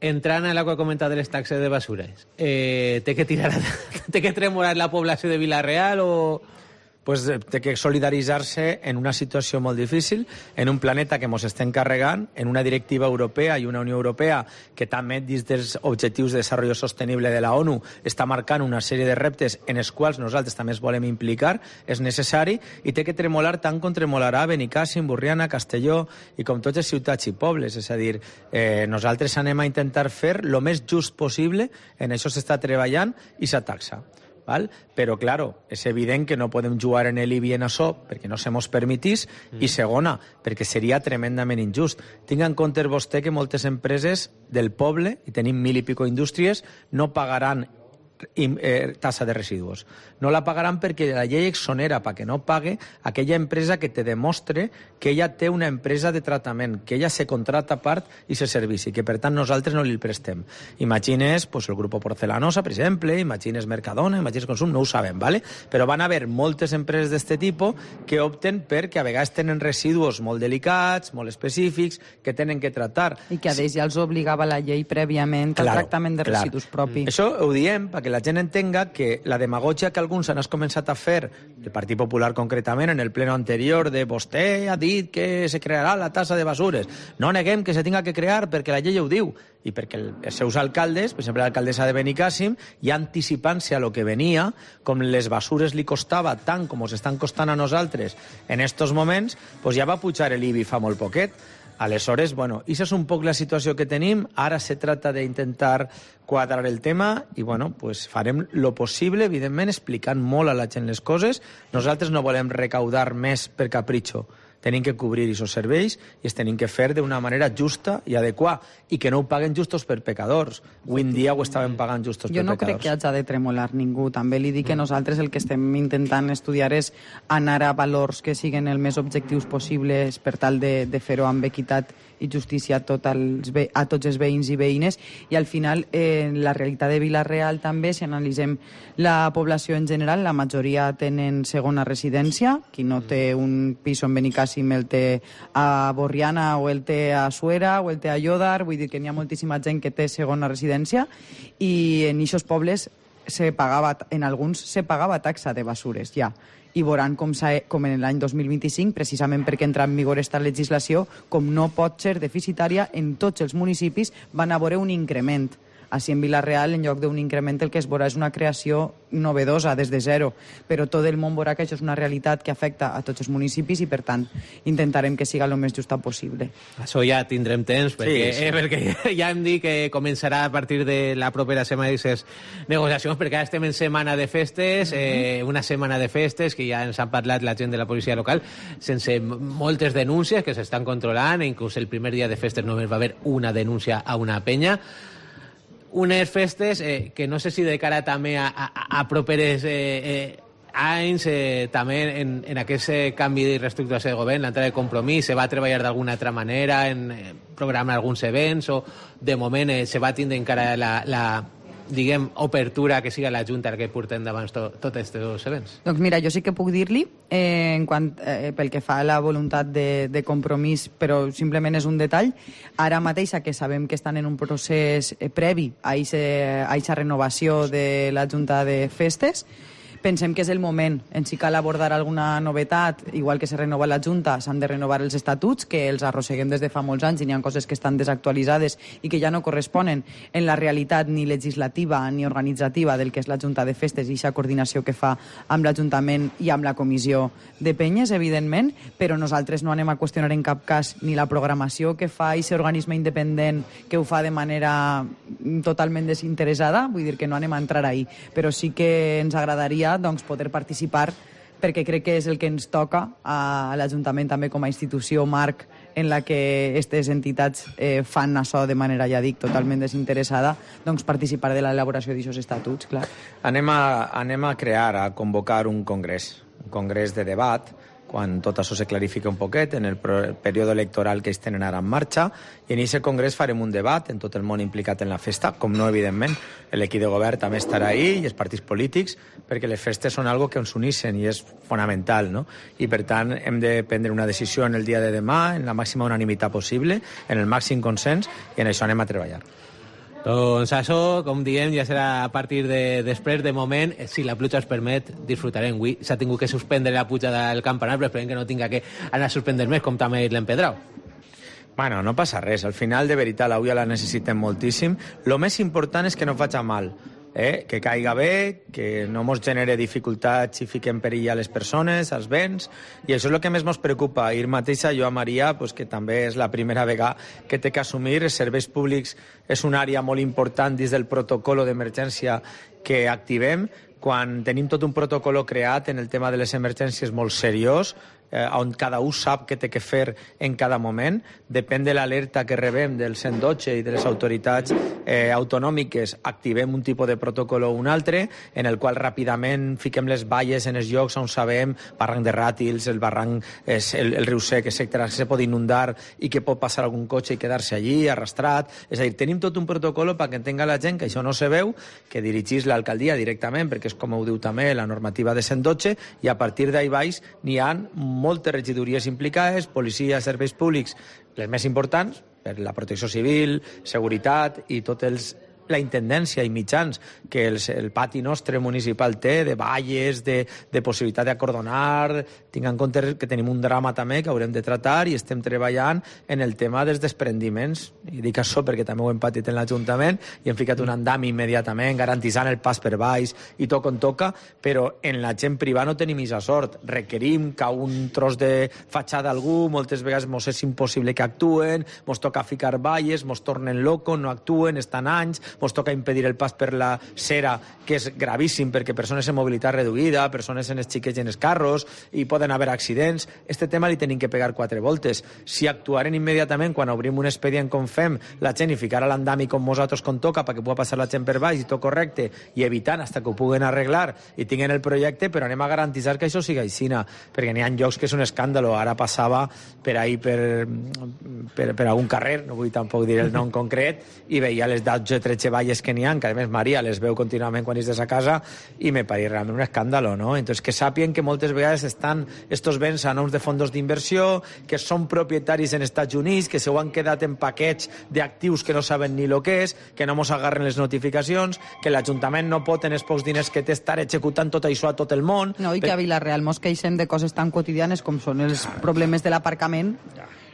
Entrant a la que ha comentat de les taxes de basures, té que tremolar la població de Vila-real o...? Pues té que solidaritzar-se en una situació molt difícil, en un planeta que ens estem carregant, en una directiva europea i una Unió Europea que també dins dels objectius de desenvolupament sostenible de la ONU està marcant una sèrie de reptes en els quals nosaltres també ens volem implicar, és necessari, i té que tremolar tant com tremolarà Benicàssim, Borriana, Castelló i com totes les ciutats i pobles. És a dir, nosaltres anem a intentar fer el més just possible, en això s'està treballant, i s'ataxa. val? Però, claro, és evident que no podem jugar en l'IBI en això perquè no se mos permetís, i segona, perquè seria tremendament injust. Tinga en compte vostè que moltes empreses del poble, i tenim 1.000 i pico indústries, no pagaran tasa de residus. No la pagaran perquè la llei exonera perquè no pague aquella empresa que te demostre que ella té una empresa de tractament, que ella se contrata a part i se servici, que per tant nosaltres no li prestem. Imagines pues, el Grupo Porcelanosa, per exemple, imagines Mercadona, imagines Consum, no ho sabem, ¿vale? Però van haver moltes empreses d'aquest tipus que opten perquè a vegades tenen residus molt delicats, molt específics, que tenen que tractar. I que a ells ja els obligava la llei prèviament al tractament de residus propi. Això ho diem perquè la gent entenga que la demagogia que alguns han començat a fer, el Partit Popular concretament, en el pleno anterior, de vostè ha dit que se crearà la tasa de basures. No neguem que se tinga que crear perquè la llei ho diu i perquè els seus alcaldes, per exemple l'alcaldessa de Benicàssim, ja anticipant-se a lo que venia, com les basures li costava tant com ens estan costant a nosaltres en estos moments, pues ja va pujar l'IBI fa molt poquet. Aleshores, bueno, això és un poc la situació que tenim. Ara se trata d'intentar quadrar el tema i, bueno, pues farem lo possible, evidentment, explicant molt a la gent les coses. Nosaltres no volem recaudar més per capritxo. Tenim que cobrir aquests serveis i es tenim que fer d'una manera justa i adequada i que no ho paguen justos per pecadors. Avui en dia ho estaven pagant justos per pecadors. Jo no crec que hagi de tremolar ningú. També li dic que nosaltres el que estem intentant estudiar és anar a valors que siguin el més objectius possibles per tal de fer-ho amb equitat i justícia a tots els veïns i veïnes, i al final la realitat de Vila-real també, si analitzem la població en general, la majoria tenen segona residència. Qui no té un pis en Benicàssim el té a Borriana o el té a Suera o el té a Llodar, vull dir que n'hi ha moltíssima gent que té segona residència, i en aquests pobles en alguns se pagava taxa de basures ja. I veuran com en l'any 2025, precisament perquè entra en vigor aquesta legislació, com no pot ser deficitària, en tots els municipis van a veure un increment. Així en Vila-real, en lloc d'un increment, el que es veurà és una creació novedosa, des de zero. Però tot el món veurà que això és una realitat que afecta a tots els municipis i, per tant, intentarem que siga el més justa possible. Això ja tindrem temps, perquè ja hem dit que començarà a partir de la propera setmana aquestes negociacions, perquè ara estem en setmana de festes, una setmana de festes que ja ens han parlat la gent de la policia local, sense moltes denúncies que s'estan controlant, inclús el primer dia de festes només va haver una denúncia a una penya. Unes festes que no sé si de cara també a properes anys, també en aquest canvi de reestructuració de govern, l'entrada de Compromís, se va treballar d'alguna altra manera en programar alguns events, o de moment se va tindre encara la diguem, obertura que siga la Junta que porta endavant tots aquests events? Doncs mira, jo sí que puc dir-li, pel que fa a la voluntat de Compromís, però simplement és un detall, ara mateixa que sabem que estan en un procés previ a aquesta renovació de la Junta de Festes, pensem que és el moment. En si cal abordar alguna novetat, igual que se renova la Junta, s'han de renovar els estatuts, que els arrosseguem des de fa molts anys i n'hi ha coses que estan desactualitzades i que ja no corresponen en la realitat ni legislativa ni organitzativa del que és la Junta de Festes i aquesta coordinació que fa amb l'Ajuntament i amb la Comissió de Penyes, evidentment, però nosaltres no anem a qüestionar en cap cas ni la programació que fa aquest organisme independent que ho fa de manera totalment desinteressada, vull dir que no anem a entrar ahí, però sí que ens agradaria poder participar, perquè crec que és el que ens toca a l'Ajuntament també com a institució marc en la que aquestes entitats fan això de manera, ja dic, totalment desinteressada, doncs participar de l'elaboració d'aquests estatuts, clar. Anem a crear, a convocar un congrés de debat, quan tot això se clarifica un poquet en el període electoral que ells tenen ara en marxa, i en aquest congrés farem un debat en tot el món implicat en la festa, com no, evidentment, l'equip de govern també estarà ahí, i els partits polítics, perquè les festes són algo que ens uneixen i és fonamental, no? I per tant hem de prendre una decisió en el dia de demà, en la màxima unanimitat possible, en el màxim consens, i en això anem a treballar. Doncs això, com diem, ja serà a partir de després. De moment, si la pluja es permet, disfrutarem. Avui s'ha tingut que suspendre la pujada del campanar, però esperem que no tinga que anar a suspendre més, com també l'empedrau. Bueno, no passa res. Al final, de veritat, l'avui la necessitem moltíssim. Lo més important és que no faci mal. Que caiga bé, que no ens genere dificultats i fiqui en perill a les persones, als béns, i això és el que més ens preocupa. Ahir mateixa jo a Maria, que també és la primera vegada que té que assumir, els serveis públics és una àrea molt important dins del protocol d'emergència que activem, quan tenim tot un protocol creat en el tema de les emergències molt seriós, on cada un sap què té que fer en cada moment. Depèn de l'alerta que rebem del 112 i de les autoritats autonòmiques, activem un tipus de protocol o un altre, en el qual ràpidament fiquem les valles en els llocs on sabem, barranc de Ràtils, el barranc, el riu Sec, etc., que se pot inundar i que pot passar algun cotxe i quedar-se allí, arrastrat. És a dir, tenim tot un protocol perquè entenga la gent que això no se veu, que dirigís l'alcaldia directament, perquè és com ho diu també la normativa de 112, i a partir d'ahí baix n'hi ha moltes regidories implicades, policia, serveis públics, les més importants, per la protecció civil, seguretat i tots la intendència i mitjans que el pati nostre municipal té, de valles, de possibilitat d'acordonar. Tinc en compte que tenim un drama també que haurem de tratar i estem treballant en el tema dels desprendiments. I dic això perquè també ho hem patit en l'Ajuntament i hem ficat un andami immediatament, garantissant el pas per baix i tot com toca, però en la gent privada no tenim aquesta sort. Requerim que un tros de fatxada algú, moltes vegades mos és impossible que actuen, mos toca ficar valles, mos tornen loco, no actuen, estan anys, mos toca impedir el pas per la cera, que és gravíssim perquè persones en mobilitat reduïda, persones en els xiquets i en els carros, i poden haver accidents. Este tema li tenim que pegar 4 voltes. Si actuaren immediatament quan obrim un expedient com fem, la gent i ficar a l'andami com nosaltres com toca perquè pugui passar la gent per baix i tot correcte, i evitant fins que ho puguen arreglar i tinguin el projecte, però anem a garantitzar que això siga aixina, perquè n'hi ha llocs que és un escàndalo. Ara passava per ahí per algun carrer, no vull tampoc dir el nom concret, i veia les 12 o 13 valles que n'hi ha, que a més Maria les veu contínuament quan és de sa casa, i me pareix realment un escàndalo, no? Entonces, que sàpien que moltes vegades estan estos béns a noms de fondos d'inversió, que són propietaris en Estats Units, que se ho han quedat en paquets d'actius que no saben ni el que és, que no mos agarren les notificacions, que l'Ajuntament no pot en els pocs diners que té estar executant tot això a tot el món. No, i que a Vila-real mos queixem de coses tan quotidianes com són els problemes de l'aparcament,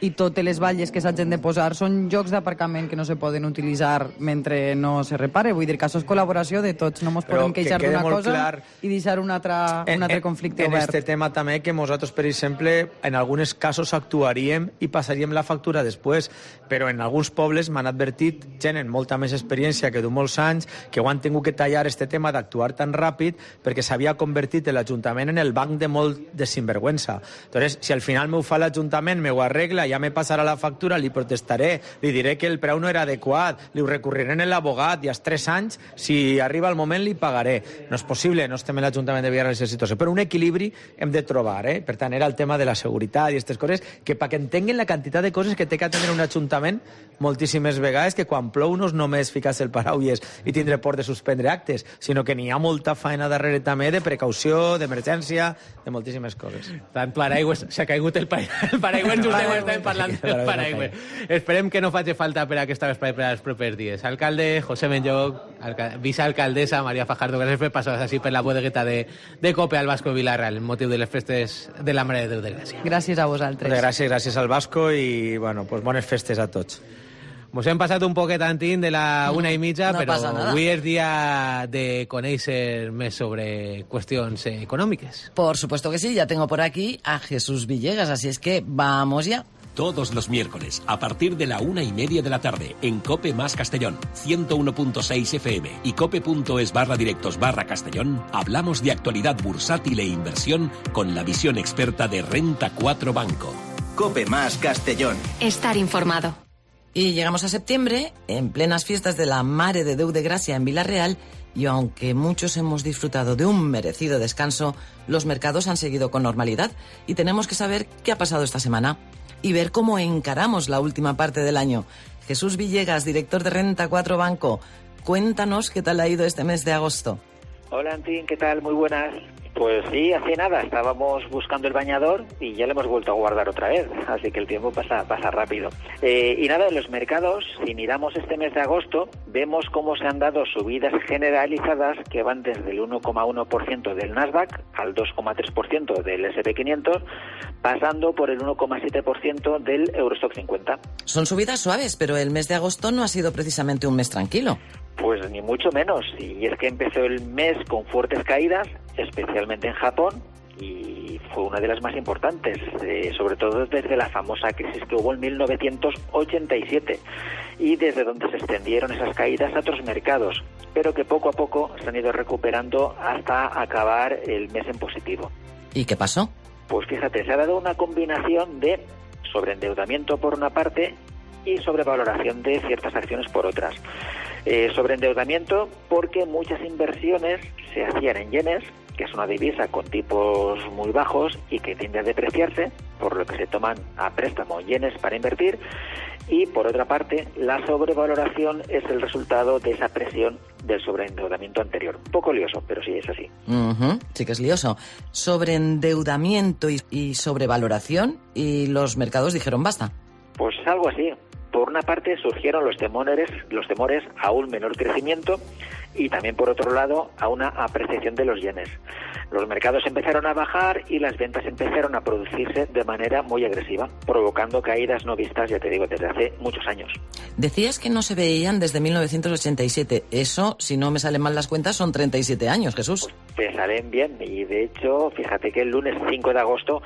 i totes les valles que s'hagin de posar són llocs d'aparcament que no se poden utilitzar mentre no se repare. Vull dir que això és col·laboració de tots, no ens podem queixar d'una cosa i deixar un altre conflicte obert. En aquest tema també que nosaltres, per exemple, en alguns casos actuaríem i passaríem la factura després, però en alguns pobles m'han advertit gent amb molta més experiència que de molts anys que ho han tingut que tallar este tema d'actuar tan ràpid perquè s'havia convertit l'Ajuntament en el banc de molt de sinvergüenza. Entonces, si al final m'ho fa l'Ajuntament, m'ho arregla, ja me passarà la factura, li protestaré, li diré que el preu no era adequat, li ho recurriré en l'abogat i als 3 anys, si arriba el moment, li pagaré. No és possible, no estem en l'Ajuntament de Villarreal en aquesta situació, però un equilibri hem de trobar, eh? Per tant, era el tema de la seguretat i aquestes coses, que perquè entenguin la quantitat de coses que té que tenir un Ajuntament moltíssimes vegades, que quan plou no és només ficar-se el paraulles i tindre por de suspendre actes, sinó que n'hi ha molta feina darrere també de precaució, d'emergència, de moltíssimes coses. Tant paraigües, s'ha caigut el paraigües, just estem parlant del paraigües. Esperem que no faci falta per aquesta espai per als propers dies. Alcalde, José Menyoc, vicealcaldessa Maria Fajardo, gràcies per passar així per la bodegueta de Cope al Vasco Vila-real, en motiu de les festes de la Mare de Déu de Gràcia. Gràcies a vosaltres. Gràcies al Vasco i bueno, pues bones festes a tots. Mos hem passat un poquet, Antín, de la 1:30, no però avui és dia de conèixer més sobre qüestions econòmiques. Por supuesto que sí, ya tengo por aquí a Jesús Villegas, así es que vamos ya. Todos los miércoles, a partir de la 1:30 de la tarde, en COPE más Castellón, 101.6 FM y cope.es/directos/Castellón, hablamos de actualidad bursátil e inversión con la visión experta de Renta 4 Banco. COPE más Castellón. Estar informado. Y llegamos a septiembre, en plenas fiestas de la Mare de Déu de Gracia en Vila-real, y aunque muchos hemos disfrutado de un merecido descanso, los mercados han seguido con normalidad y tenemos que saber qué ha pasado esta semana y ver cómo encaramos la última parte del año. Jesús Villegas, director de Renta 4 Banco, cuéntanos qué tal ha ido este mes de agosto. Hola, Antín, ¿qué tal? Muy buenas. Pues sí, hace nada estábamos buscando el bañador y ya lo hemos vuelto a guardar otra vez, así que el tiempo pasa rápido. Y nada, en los mercados, si miramos este mes de agosto, vemos cómo se han dado subidas generalizadas que van desde el 1,1% del Nasdaq al 2,3% del S&P 500, pasando por el 1,7% del Eurostock 50. Son subidas suaves, pero el mes de agosto no ha sido precisamente un mes tranquilo. Pues ni mucho menos, y es que empezó el mes con fuertes caídas, especialmente en Japón, y fue una de las más importantes, sobre todo desde la famosa crisis que hubo en 1987 y desde donde se extendieron esas caídas a otros mercados, pero que poco a poco se han ido recuperando hasta acabar el mes en positivo. ¿Y qué pasó? Pues fíjate, se ha dado una combinación de sobreendeudamiento por una parte y sobrevaloración de ciertas acciones por otras. Sobreendeudamiento porque muchas inversiones se hacían en yenes, que es una divisa con tipos muy bajos y que tiende a depreciarse, por lo que se toman a préstamo yenes para invertir, y por otra parte la sobrevaloración es el resultado de esa presión del sobreendeudamiento anterior. Un poco lioso, pero sí es así. Sí que es lioso. Sobreendeudamiento y sobrevaloración, y los mercados dijeron basta. Pues algo así. Por una parte surgieron los temores a un menor crecimiento y también por otro lado a una apreciación de los yenes. Los mercados empezaron a bajar y las ventas empezaron a producirse de manera muy agresiva, provocando caídas no vistas, ya te digo, desde hace muchos años. Decías que no se veían desde 1987. Eso, si no me salen mal las cuentas, son 37 años, Jesús. Pues te salen bien y de hecho, fíjate que el lunes 5 de agosto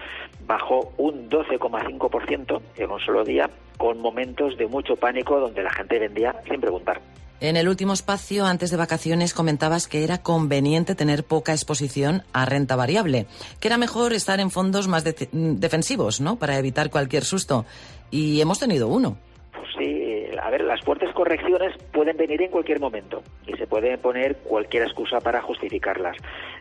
bajó un 12,5% en un solo día, con momentos de mucho pánico donde la gente vendía sin preguntar. En el último espacio, antes de vacaciones, comentabas que era conveniente tener poca exposición a renta variable, que era mejor estar en fondos más defensivos, ¿no?, para evitar cualquier susto. Y hemos tenido uno. Pues sí, a ver, las fuertes correcciones pueden venir en cualquier momento y se puede poner cualquier excusa para justificarlas.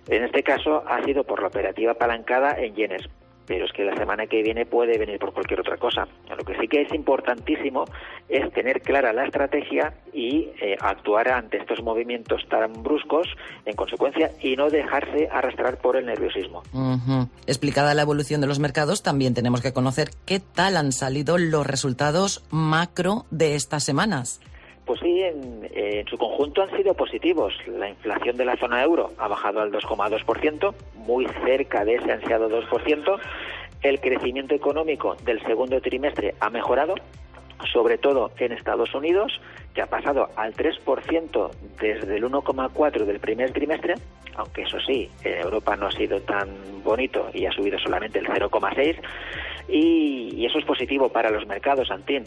En este caso ha sido por la operativa apalancada en yenes, pero es que la semana que viene puede venir por cualquier otra cosa. Lo que sí que es importantísimo es tener clara la estrategia y actuar ante estos movimientos tan bruscos en consecuencia y no dejarse arrastrar por el nerviosismo. Explicada la evolución de los mercados, también tenemos que conocer qué tal han salido los resultados macro de estas semanas. Pues sí, en su conjunto han sido positivos. La inflación de la zona euro ha bajado al 2,2%, muy cerca de ese ansiado 2%. El crecimiento económico del segundo trimestre ha mejorado, sobre todo en Estados Unidos, que ha pasado al 3% desde el 1,4% del primer trimestre, aunque eso sí, en Europa no ha sido tan bonito y ha subido solamente el 0,6%, y eso es positivo para los mercados, Antín.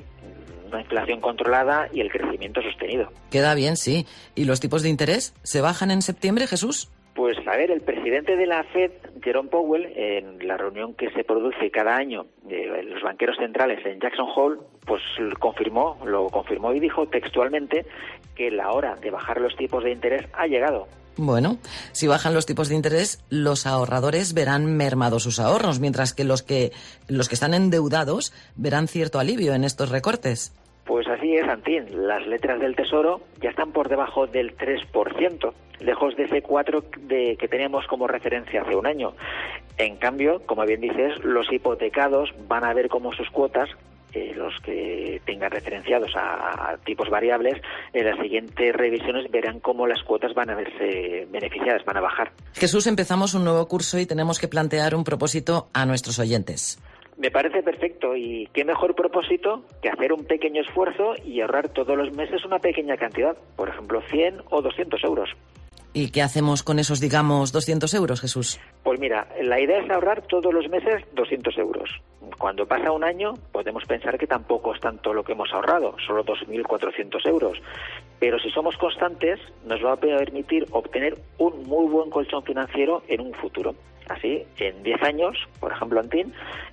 Una inflación controlada y el crecimiento sostenido. Queda bien, sí. ¿Y los tipos de interés se bajan en septiembre, Jesús? Pues a ver, el presidente de la Fed, Jerome Powell, en la reunión que se produce cada año de los banqueros centrales en Jackson Hole, pues lo confirmó y dijo textualmente que la hora de bajar los tipos de interés ha llegado. Bueno, si bajan los tipos de interés, los ahorradores verán mermados sus ahorros, mientras que los que están endeudados verán cierto alivio en estos recortes. Pues así es, Antín. Las letras del Tesoro ya están por debajo del 3%, lejos de ese 4% que teníamos como referencia hace un año. En cambio, como bien dices, los hipotecados van a ver cómo sus cuotas, los que tengan referenciados a tipos variables, en las siguientes revisiones verán cómo las cuotas van a verse beneficiadas, van a bajar. Jesús, empezamos un nuevo curso y tenemos que plantear un propósito a nuestros oyentes. Me parece perfecto, y qué mejor propósito que hacer un pequeño esfuerzo y ahorrar todos los meses una pequeña cantidad, por ejemplo 100 o 200 euros. ¿Y qué hacemos con esos, digamos, 200 euros, Jesús? Pues mira, la idea es ahorrar todos los meses 200 euros. Cuando pasa un año podemos pensar que tampoco es tanto lo que hemos ahorrado, solo 2.400 euros. Pero si somos constantes nos va a permitir obtener un muy buen colchón financiero en un futuro. Así, en 10 años, por ejemplo, Antín,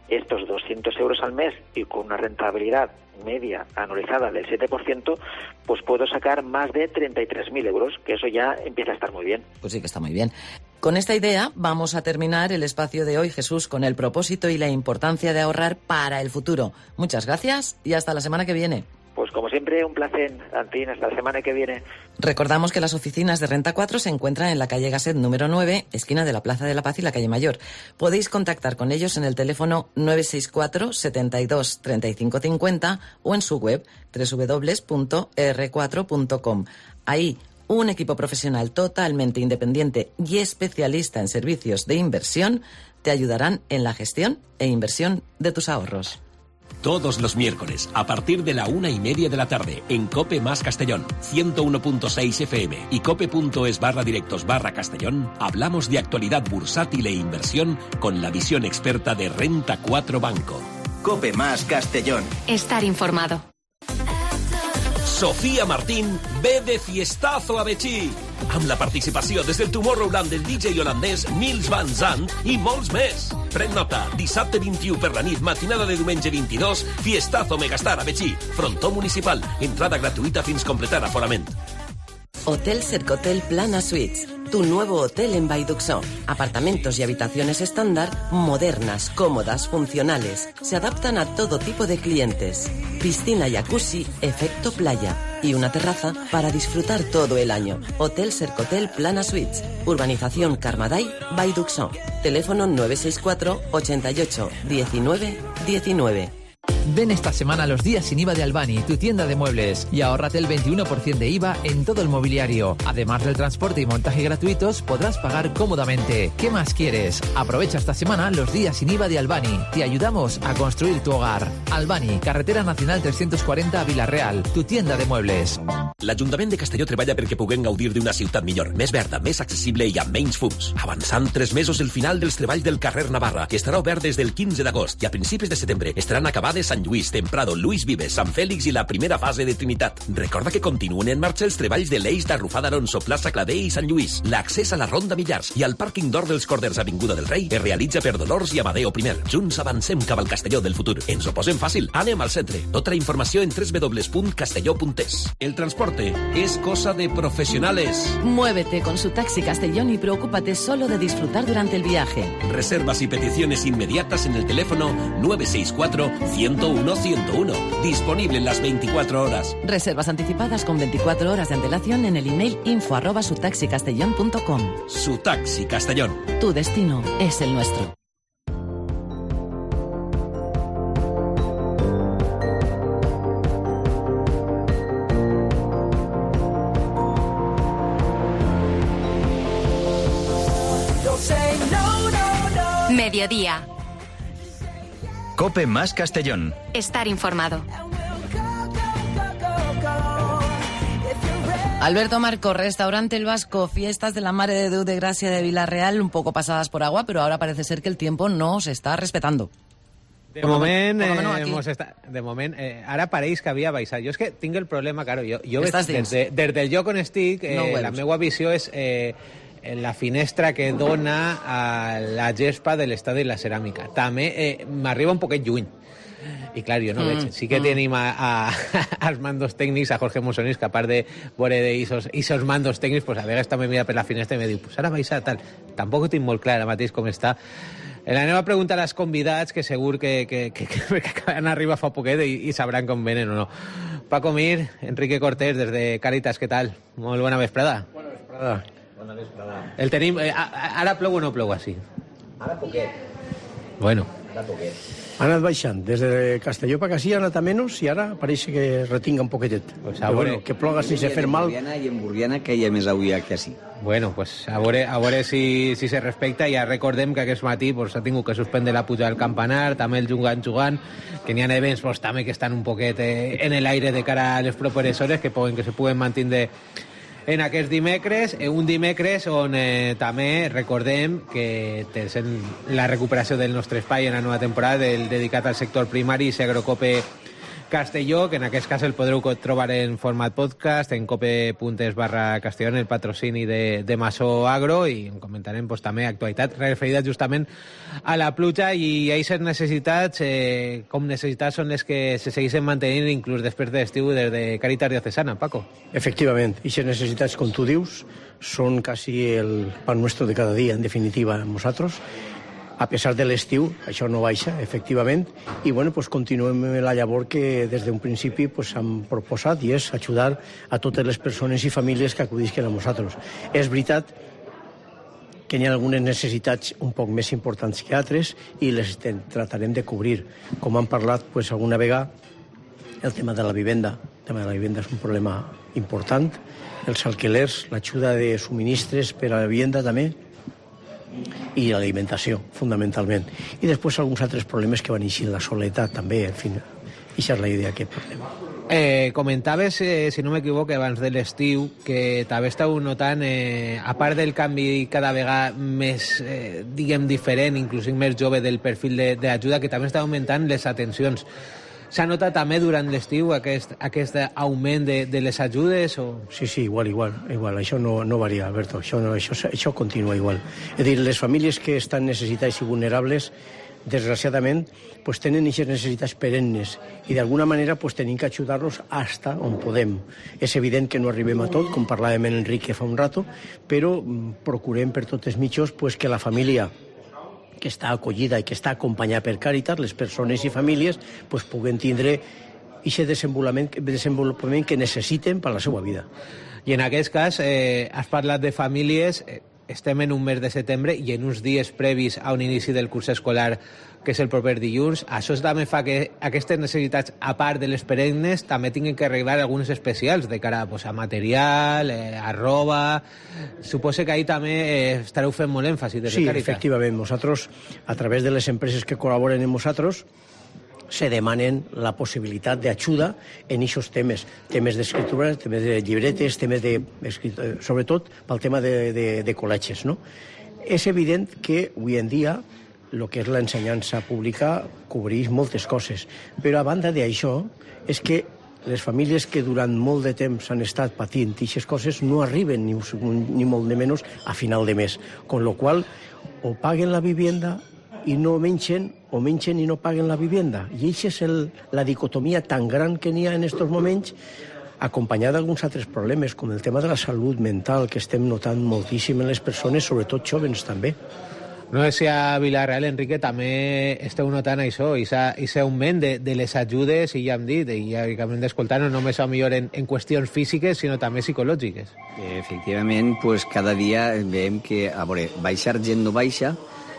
estos 200 euros al mes y con una rentabilidad media anualizada del 7%, pues puedo sacar más de 33.000 euros, que eso ya empieza a estar muy bien. Pues sí que está muy bien. Con esta idea vamos a terminar el espacio de hoy, Jesús, con el propósito y la importancia de ahorrar para el futuro. Muchas gracias y hasta la semana que viene. Pues como siempre, un placer, Antín, hasta la semana que viene. Recordamos que las oficinas de Renta 4 se encuentran en la calle Gasset número 9, esquina de la Plaza de la Paz y la calle Mayor. Podéis contactar con ellos en el teléfono 964 72 35 50 o en su web www.r4.com. Ahí, un equipo profesional totalmente independiente y especialista en servicios de inversión te ayudarán en la gestión e inversión de tus ahorros. Todos los miércoles, a partir de la 1:30 de la tarde, en COPE más Castellón, 101.6 FM y cope.es/directos/Castellón, hablamos de actualidad bursátil e inversión con la visión experta de Renta 4 Banco. COPE más Castellón. Estar informado. Sofía Martín ve de fiestazo a Betxí, amb la participació des del Tomorrowland del DJ holandès Nils Van Zandt i molts més. Pren nota, dissabte 21 per la nit, matinada de diumenge 22, fiestazo Megastar a Betxí, frontó municipal, entrada gratuïta fins completar aforament. Hotel Cercotel Plana Suites, tu nuevo hotel en Vallduxó. Apartamentos y habitaciones estándar, modernas, cómodas, funcionales. Se adaptan a todo tipo de clientes. Piscina jacuzzi, efecto playa. Y una terraza para disfrutar todo el año. Hotel Cercotel Plana Suites. Urbanización Carmaday, Vallduxó. Teléfono 964 88 19 19. Ven esta semana a los días sin IVA de Albani, tu tienda de muebles, y ahórrate el 21% de IVA en todo el mobiliario. Además del transporte y montaje gratuitos, podrás pagar cómodamente. ¿Qué más quieres? Aprovecha esta semana los días sin IVA de Albani. Te ayudamos a construir tu hogar. Albani, Carretera Nacional 340 a Vila-real, tu tienda de muebles. L'Ajuntament de Castelló treballa perquè puguem gaudir d'una ciutat millor, més verda, més accessible i amb menys fums. Avançant 3 mesos el final dels treballs del carrer Navarra, que estarà obert des del 15 d'agost i a principis de setembre estaran acabades Sant Lluís, Temprado, Luis Vives, Sant Fèlix i la primera fase de Trinitat. Recorda que continuen en marxa els treballs de l'eix d'Arrufada Alonso, Plaça Clavé i Sant Lluís. L'accés a la Ronda Millars i al pàrquing d'Or dels Corders Avinguda del Rei es realitza per Dolors i Amadeo I. Junts avancem cap al Castelló del futur. Ens ho posem fàcil. Anem al centre. Tota la informació en www.castelló.es. El transporte es cosa de profesionales. Muévete con su taxi Castellón y preocúpate solo de disfrutar durante el viaje. Reservas y peticiones inmediatas en el teléfono 964-101-101. Disponible en las 24 horas. Reservas anticipadas con 24 horas de antelación en el email info@sutaxicastellón.com. Su Taxi Castellón. Tu destino es el nuestro. Mediodía. COPE más Castellón. Estar informado. Alberto Marco, restaurante El Vasco, fiestas de la Mare de Déu de Gràcia de Vila-real, un poco pasadas por agua, pero ahora parece ser que el tiempo no se está respetando. De moment, ara pareix que havia baixat. Jo és que tinc el problema, claro, jo veig, des del lloc on estic, la meva visió és la finestra que dona a la gespa de l'estadi de la ceràmica. També m'arriba un poquet lluny. I clar, jo no veig. Sí que tenim als mandos tècnics, a Jorge Mosonís, que a part de veure d'eixos mandos tècnics, pues a vegades també mira per la finestra i me diu, pues ara baixa tal. Tampoc ho tinc molt clar ara mateix com està. Anem a preguntar als convidats, que segur que acaben arribar fa poquet i sabran com venen o no. Paco Mir, Enrique Cortés, des de Càritas, què tal? Molt bona vesprada. Bona vesprada. El tenim... Ara plou o no plou així? Ara poquet. Bueno. Ara poquet. Ha anat baixant. Des de Castelló per Casí ha anat a menys i ara pareix que retinga un poquetet. Pues però bueno, que ploga sense fer mal. I en Burriana que hi ha més avui que així. Bueno, pues a veure si se respecta. Ja recordem que aquest matí s'ha tingut que suspendre la puja del campanar, també el jugant, que n'hi ha events també que estan un poquet en l'aire de cara a les properes hores, que se puguen mantenir en aquest dimecres, un dimecres on també recordem que sent la recuperació del nostre espai en la nova temporada dedicat al sector primari, Agrocope Castelló, que en aquest cas el podreu trobar en format podcast en cope.es/Castelló, en el patrocini de Masó Agro, i en comentarem també actualitat referida justament a la pluja i aquestes necessitats, com necessitats són les que se segueixen mantenint inclús després de l'estiu des de Càritas Diocesana. Paco. Efectivament, aquestes necessitats, com tu dius, són quasi el pan nuestro de cada dia, en definitiva, amb nosaltres. A pesar de l'estiu, això no baixa, efectivament, i bueno, pues continuem la llavor que des d'un principi pues, hem proposat, i és ajudar a totes les persones i famílies que acudisquen a nosaltres. És veritat que hi ha algunes necessitats un poc més importants que altres i les tratarem de cobrir. Com hem parlat pues, alguna vegada, el tema de la vivenda. El tema de la vivenda és un problema important. Els alquilers, l'ajuda de subministres per a la vivenda també. i l'alimentació, fundamentalment. I després alguns altres problemes que van eixir, la soledat també, en fi, això és la idea que portem. Comentaves, si no m'equivoco, abans de l'estiu, que també estàu notant, a part del canvi cada vegada més, diguem, diferent, inclús més jove del perfil d'ajuda, que també està augmentant les atencions. S'ha notat també durant l'estiu aquest augment de les ajudes? O... Sí, igual. Això no varia, Alberto. Això continua igual. És a dir, les famílies que estan necessitades i vulnerables, desgraciadament, pues tenen aquestes necessitats perennes i d'alguna manera pues tenim que ajudar-los hasta on podem. És evident que no arribem a tot, com parlàvem en Enrique fa un rato, però procurem per tots els mitjans pues, que la família que està acollida i que està acompanyada per Càritas, les persones i famílies, pues, puguen tindre aquest desenvolupament que necessiten per a la seva vida. I en aquest cas, has parlat de famílies, estem en un mes de setembre i en uns dies previs a un inici del curs escolar, que és el proper dilluns. Això també fa que aquestes necessitats, a part de les perennes, també tinguin que arreglar algunes especials de cara a material, a roba... Suposo que ahí també estareu fent molt èmfasi des de Càritas. Sí, efectivament. Nosaltres, a través de les empreses que col·laboren amb nosaltres, se demanen la possibilitat d'ajuda en aquests temes d'escriptura, temes de llibretes, temes de... sobretot pel tema de col·legis, no? És evident que avui en dia el que és l'ensenyança pública cobreix moltes coses, però a banda d'això és que les famílies que durant molt de temps han estat patint aquestes coses no arriben ni molt de menys a final de mes, con lo qual o paguen la vivienda i no mengen, o mengen i no paguen la vivienda. I això és la dicotomia tan gran que n'hi ha en aquests moments, acompanyada d'alguns altres problemes, com el tema de la salut mental, que estem notant moltíssim en les persones, sobretot jóvens també. No sé si a Vila-real, Enrique, també esteu notant això, aquest augment de les ajudes, i ja hem dit, i ja acabem d'escoltar, no només millor en qüestions físiques, sinó també psicològiques. Efectivament, pues, cada dia veiem que, a veure, baixar gent no baixa,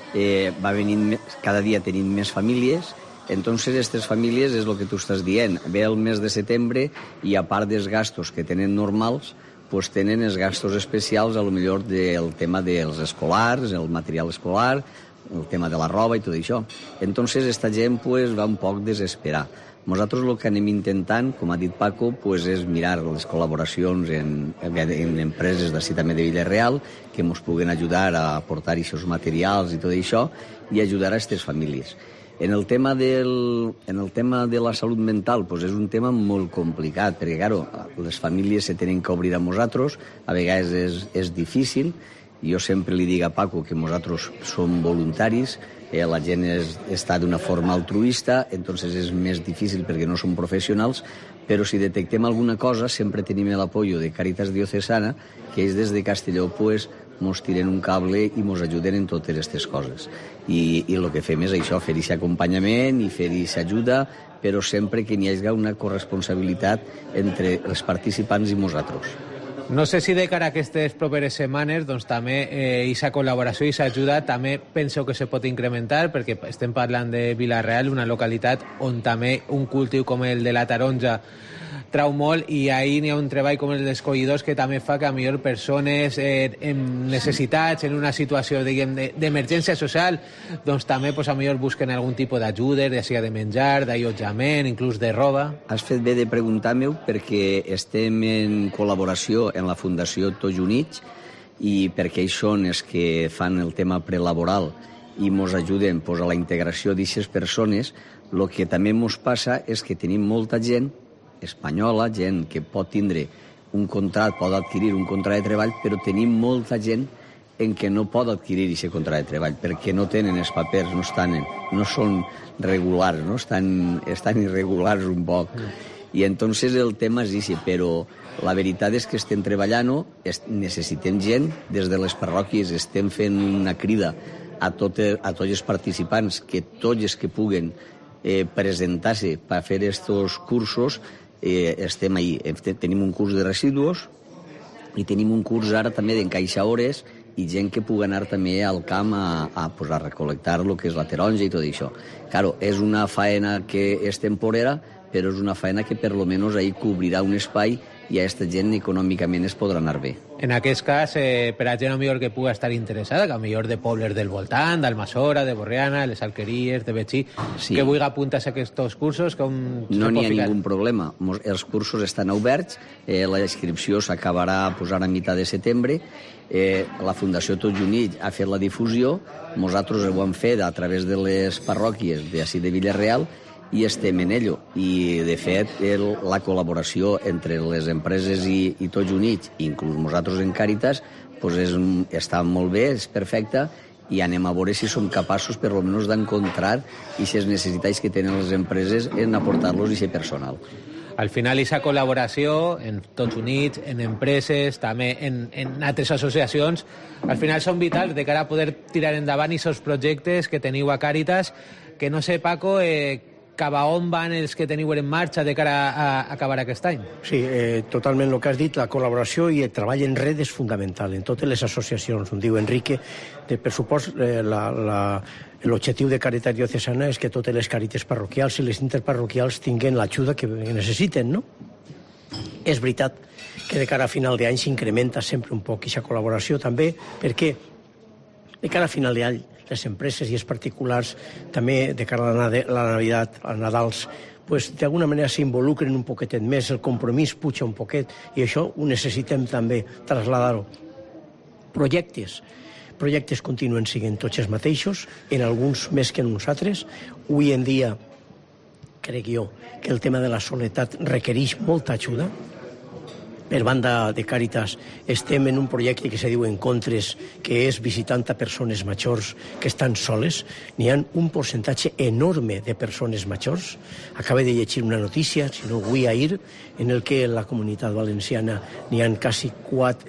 va venint, cada dia tenint més famílies, entonces aquestes famílies és el que tu estàs dient, ve el mes de setembre i a part dels gastos que tenen normals, pues tenen els gastos especials, a lo millor del tema dels escolars, el material escolar, el tema de la roba i tot això. Entonces esta gent pues va un poc desesperar. Nosaltres el que anem intentant, com ha dit Paco, pues, és mirar les col·laboracions en empreses d'ací també de Vila-real que ens puguen ajudar a aportar aquests materials i tot això i ajudar a aquestes famílies. En el tema de la salut mental, pues és un tema molt complicat, perquè, claro, les famílies se tenen que obrir a nosaltres, a vegades és difícil. Jo sempre li dic a Paco que nosaltres som voluntaris, la gent està d'una forma altruista, entonces és més difícil perquè no som professionals, però si detectem alguna cosa sempre tenim l'apoyo de Càritas Diocesana, que ells des de Castelló pues, mos tiren un cable i mos ajuden en totes aquestes coses. I el que fem és això, fer aquest acompanyament i fer aquesta ajuda, però sempre que n'hi hagi una corresponsabilitat entre els participants i nosaltres. No sé si de cara a aquestes properes setmanes doncs també aquesta col·laboració i aquesta ajuda també penso que se pot incrementar, perquè estem parlant de Vila-real, una localitat on també un cultiu com el de la taronja trau molt, i ahir n'hi ha un treball com el dels collidors que també fa que a millor persones en necessitats, en una situació d'emergència social, doncs també a millor busquen algun tipus d'ajudes, ja sigui de menjar, d'allotjament, inclús de roba. Has fet bé de preguntar-me perquè estem en col·laboració en la Fundació Tots Units i perquè ells són els que fan el tema prelaboral i ens ajuden a la integració d'aquestes persones. El que també ens passa és que tenim molta gent espanyola, gent que pot tindre un contracte, pot adquirir un contracte de treball, però tenim molta gent en què no pot adquirir aquest contracte de treball perquè no tenen els papers, no són regulars, no? Estan irregulars un poc. I entonces el tema és aquest, però la veritat és que estem treballant, necessitem gent, des de les parròquies estem fent una crida a tots els participants, que tots els que puguen presentar-se per fer aquests cursos, estem ahí. Tenim un curs de residus i tenim un curs ara també d'encaixar hores i gent que pugui anar també al camp a recol·lectar el que és la taronja i tot això. Claro, és una faena que és temporera, però és una faena que per lo menos ahí cobrirà un espai i a aquesta gent econòmicament es podrà anar bé. En aquest cas, per a gent millor que pugui estar interessada, que millor de pobles del voltant, d'Almassora, de Borriana, les Alqueries, de Betxí, que vulgui apuntar-se a aquests cursos, no n'hi ha ningú problema. Els cursos estan oberts, la inscripció s'acabarà a mitjà de setembre, la Fundació Tots Units ha fet la difusió, nosaltres ho hem fet a través de les parròquies d'ací de Vila-real i estem en ello. I, de fet, la col·laboració entre les empreses i Tots Units, inclús nosaltres en Càritas, està molt bé, és perfecta, i anem a veure si som capaços, per almenys, d'encontrar aquestes necessitats que tenen les empreses en aportar-los aquest personal. Al final, aquesta col·laboració en Tots Units, en empreses, també en altres associacions, al final són vitals de cara a poder tirar endavant aquests projectes que teniu a Càritas, que no sé, Paco, cap a on van els que teniu en marxa de cara a acabar aquest any? Sí, totalment el que has dit, la col·laboració i el treball en red és fundamental en totes les associacions. Em diu Enrique, per supost, l'objectiu de Càritas Diocesana és que totes les càritas parroquials i les interparroquials tinguin l'ajuda que necessiten, no? És veritat que de cara a final d'any s'incrementa sempre un poc aquesta col·laboració també, perquè de cara a final d'any les empreses i els particulars també de cara a la Navidad, als Nadals, pues, d'alguna manera s'involucren un poquetet més, el compromís puja un poquet i això ho necessitem també traslladar-ho. Projectes continuen sent tots els mateixos, en alguns més que en uns altres. Avui en dia, crec jo, que el tema de la soledat requereix molta ajuda. Per banda de Càritas estem en un projecte que se diu Encontres, que és visitant a persones majors que estan soles. N'hi ha un percentatge enorme de persones majors. Acabo de llegir una notícia, si no avui ahir, en el que en la comunitat valenciana n'hi ha quasi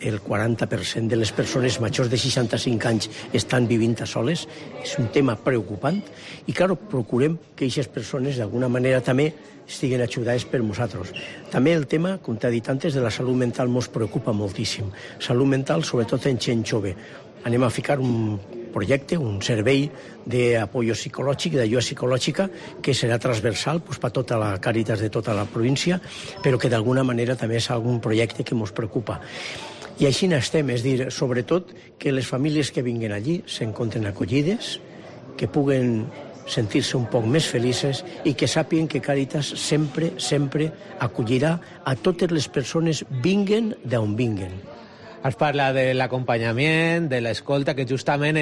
el 40% de les persones majors de 65 anys estan vivint a soles. És un tema preocupant i, clar, procurem que aquestes persones d'alguna manera també estiguen ajudades per nosaltres. També el tema, com t'he dit antes, de la salut mental ens preocupa moltíssim. Salut mental, sobretot en gent jove. Anem a ficar un projecte, un servei d'apoyo psicològic, d'ajuda psicològica, que serà transversal per tota la Càritas de tota la província, però que d'alguna manera també és algun projecte que ens preocupa. I així n'estem, és dir, sobretot que les famílies que vinguen allí s'encontren acollides, que puguen sentir-se un poc més felices i que sàpiguen que Càritas sempre acollirà a totes les persones vinguen d'on vinguen. Has parlat de l'acompanyament, de l'escolta, que justament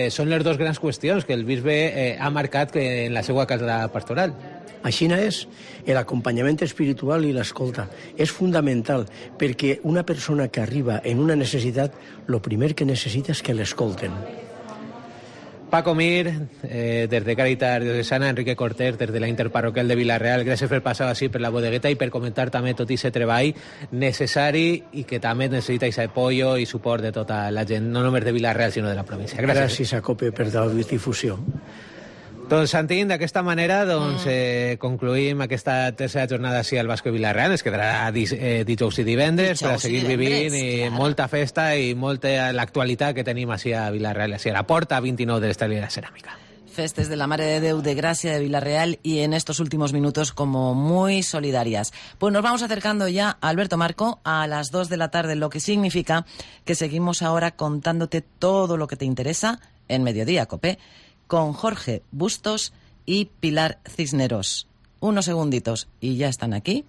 són les dues grans qüestions que el bisbe ha marcat en la seva casa pastoral. Així és, l'acompanyament espiritual i l'escolta és fundamental, perquè una persona que arriba en una necessitat, el primer que necessita és que l'escolten. Paco Mir, des de Càritas Diocesana, Enrique Cortés, des de la Interparroquial de Vila-real, gràcies per passar així per la bodegueta i per comentar també tot aquest treball necessari i que també necessita aquest apoyo i suport de tota la gent, no només de Vila-real, sinó de la província. Gràcies a COPE per la difusió. Doncs, Santín, d'aquesta manera concluïm aquesta tercera jornada així al Basco Vila-real. Es quedarà dijous i divendres per a seguir vivint i molta festa i molta l'actualitat que tenim així a Vila-real, així a la porta 29 de l'Estela de la Ceràmica. Festes de la Mare de Déu de Gracia de Vila-real y en estos últimos minutos como muy solidarias. Pues nos vamos acercando ya, Alberto Marco, a las 2 de la tarde, lo que significa que seguimos ahora contándote todo lo que te interesa en Mediodía, COPE, con Jorge Bustos y Pilar Cisneros. Unos segunditos y ya están aquí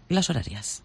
las horarias.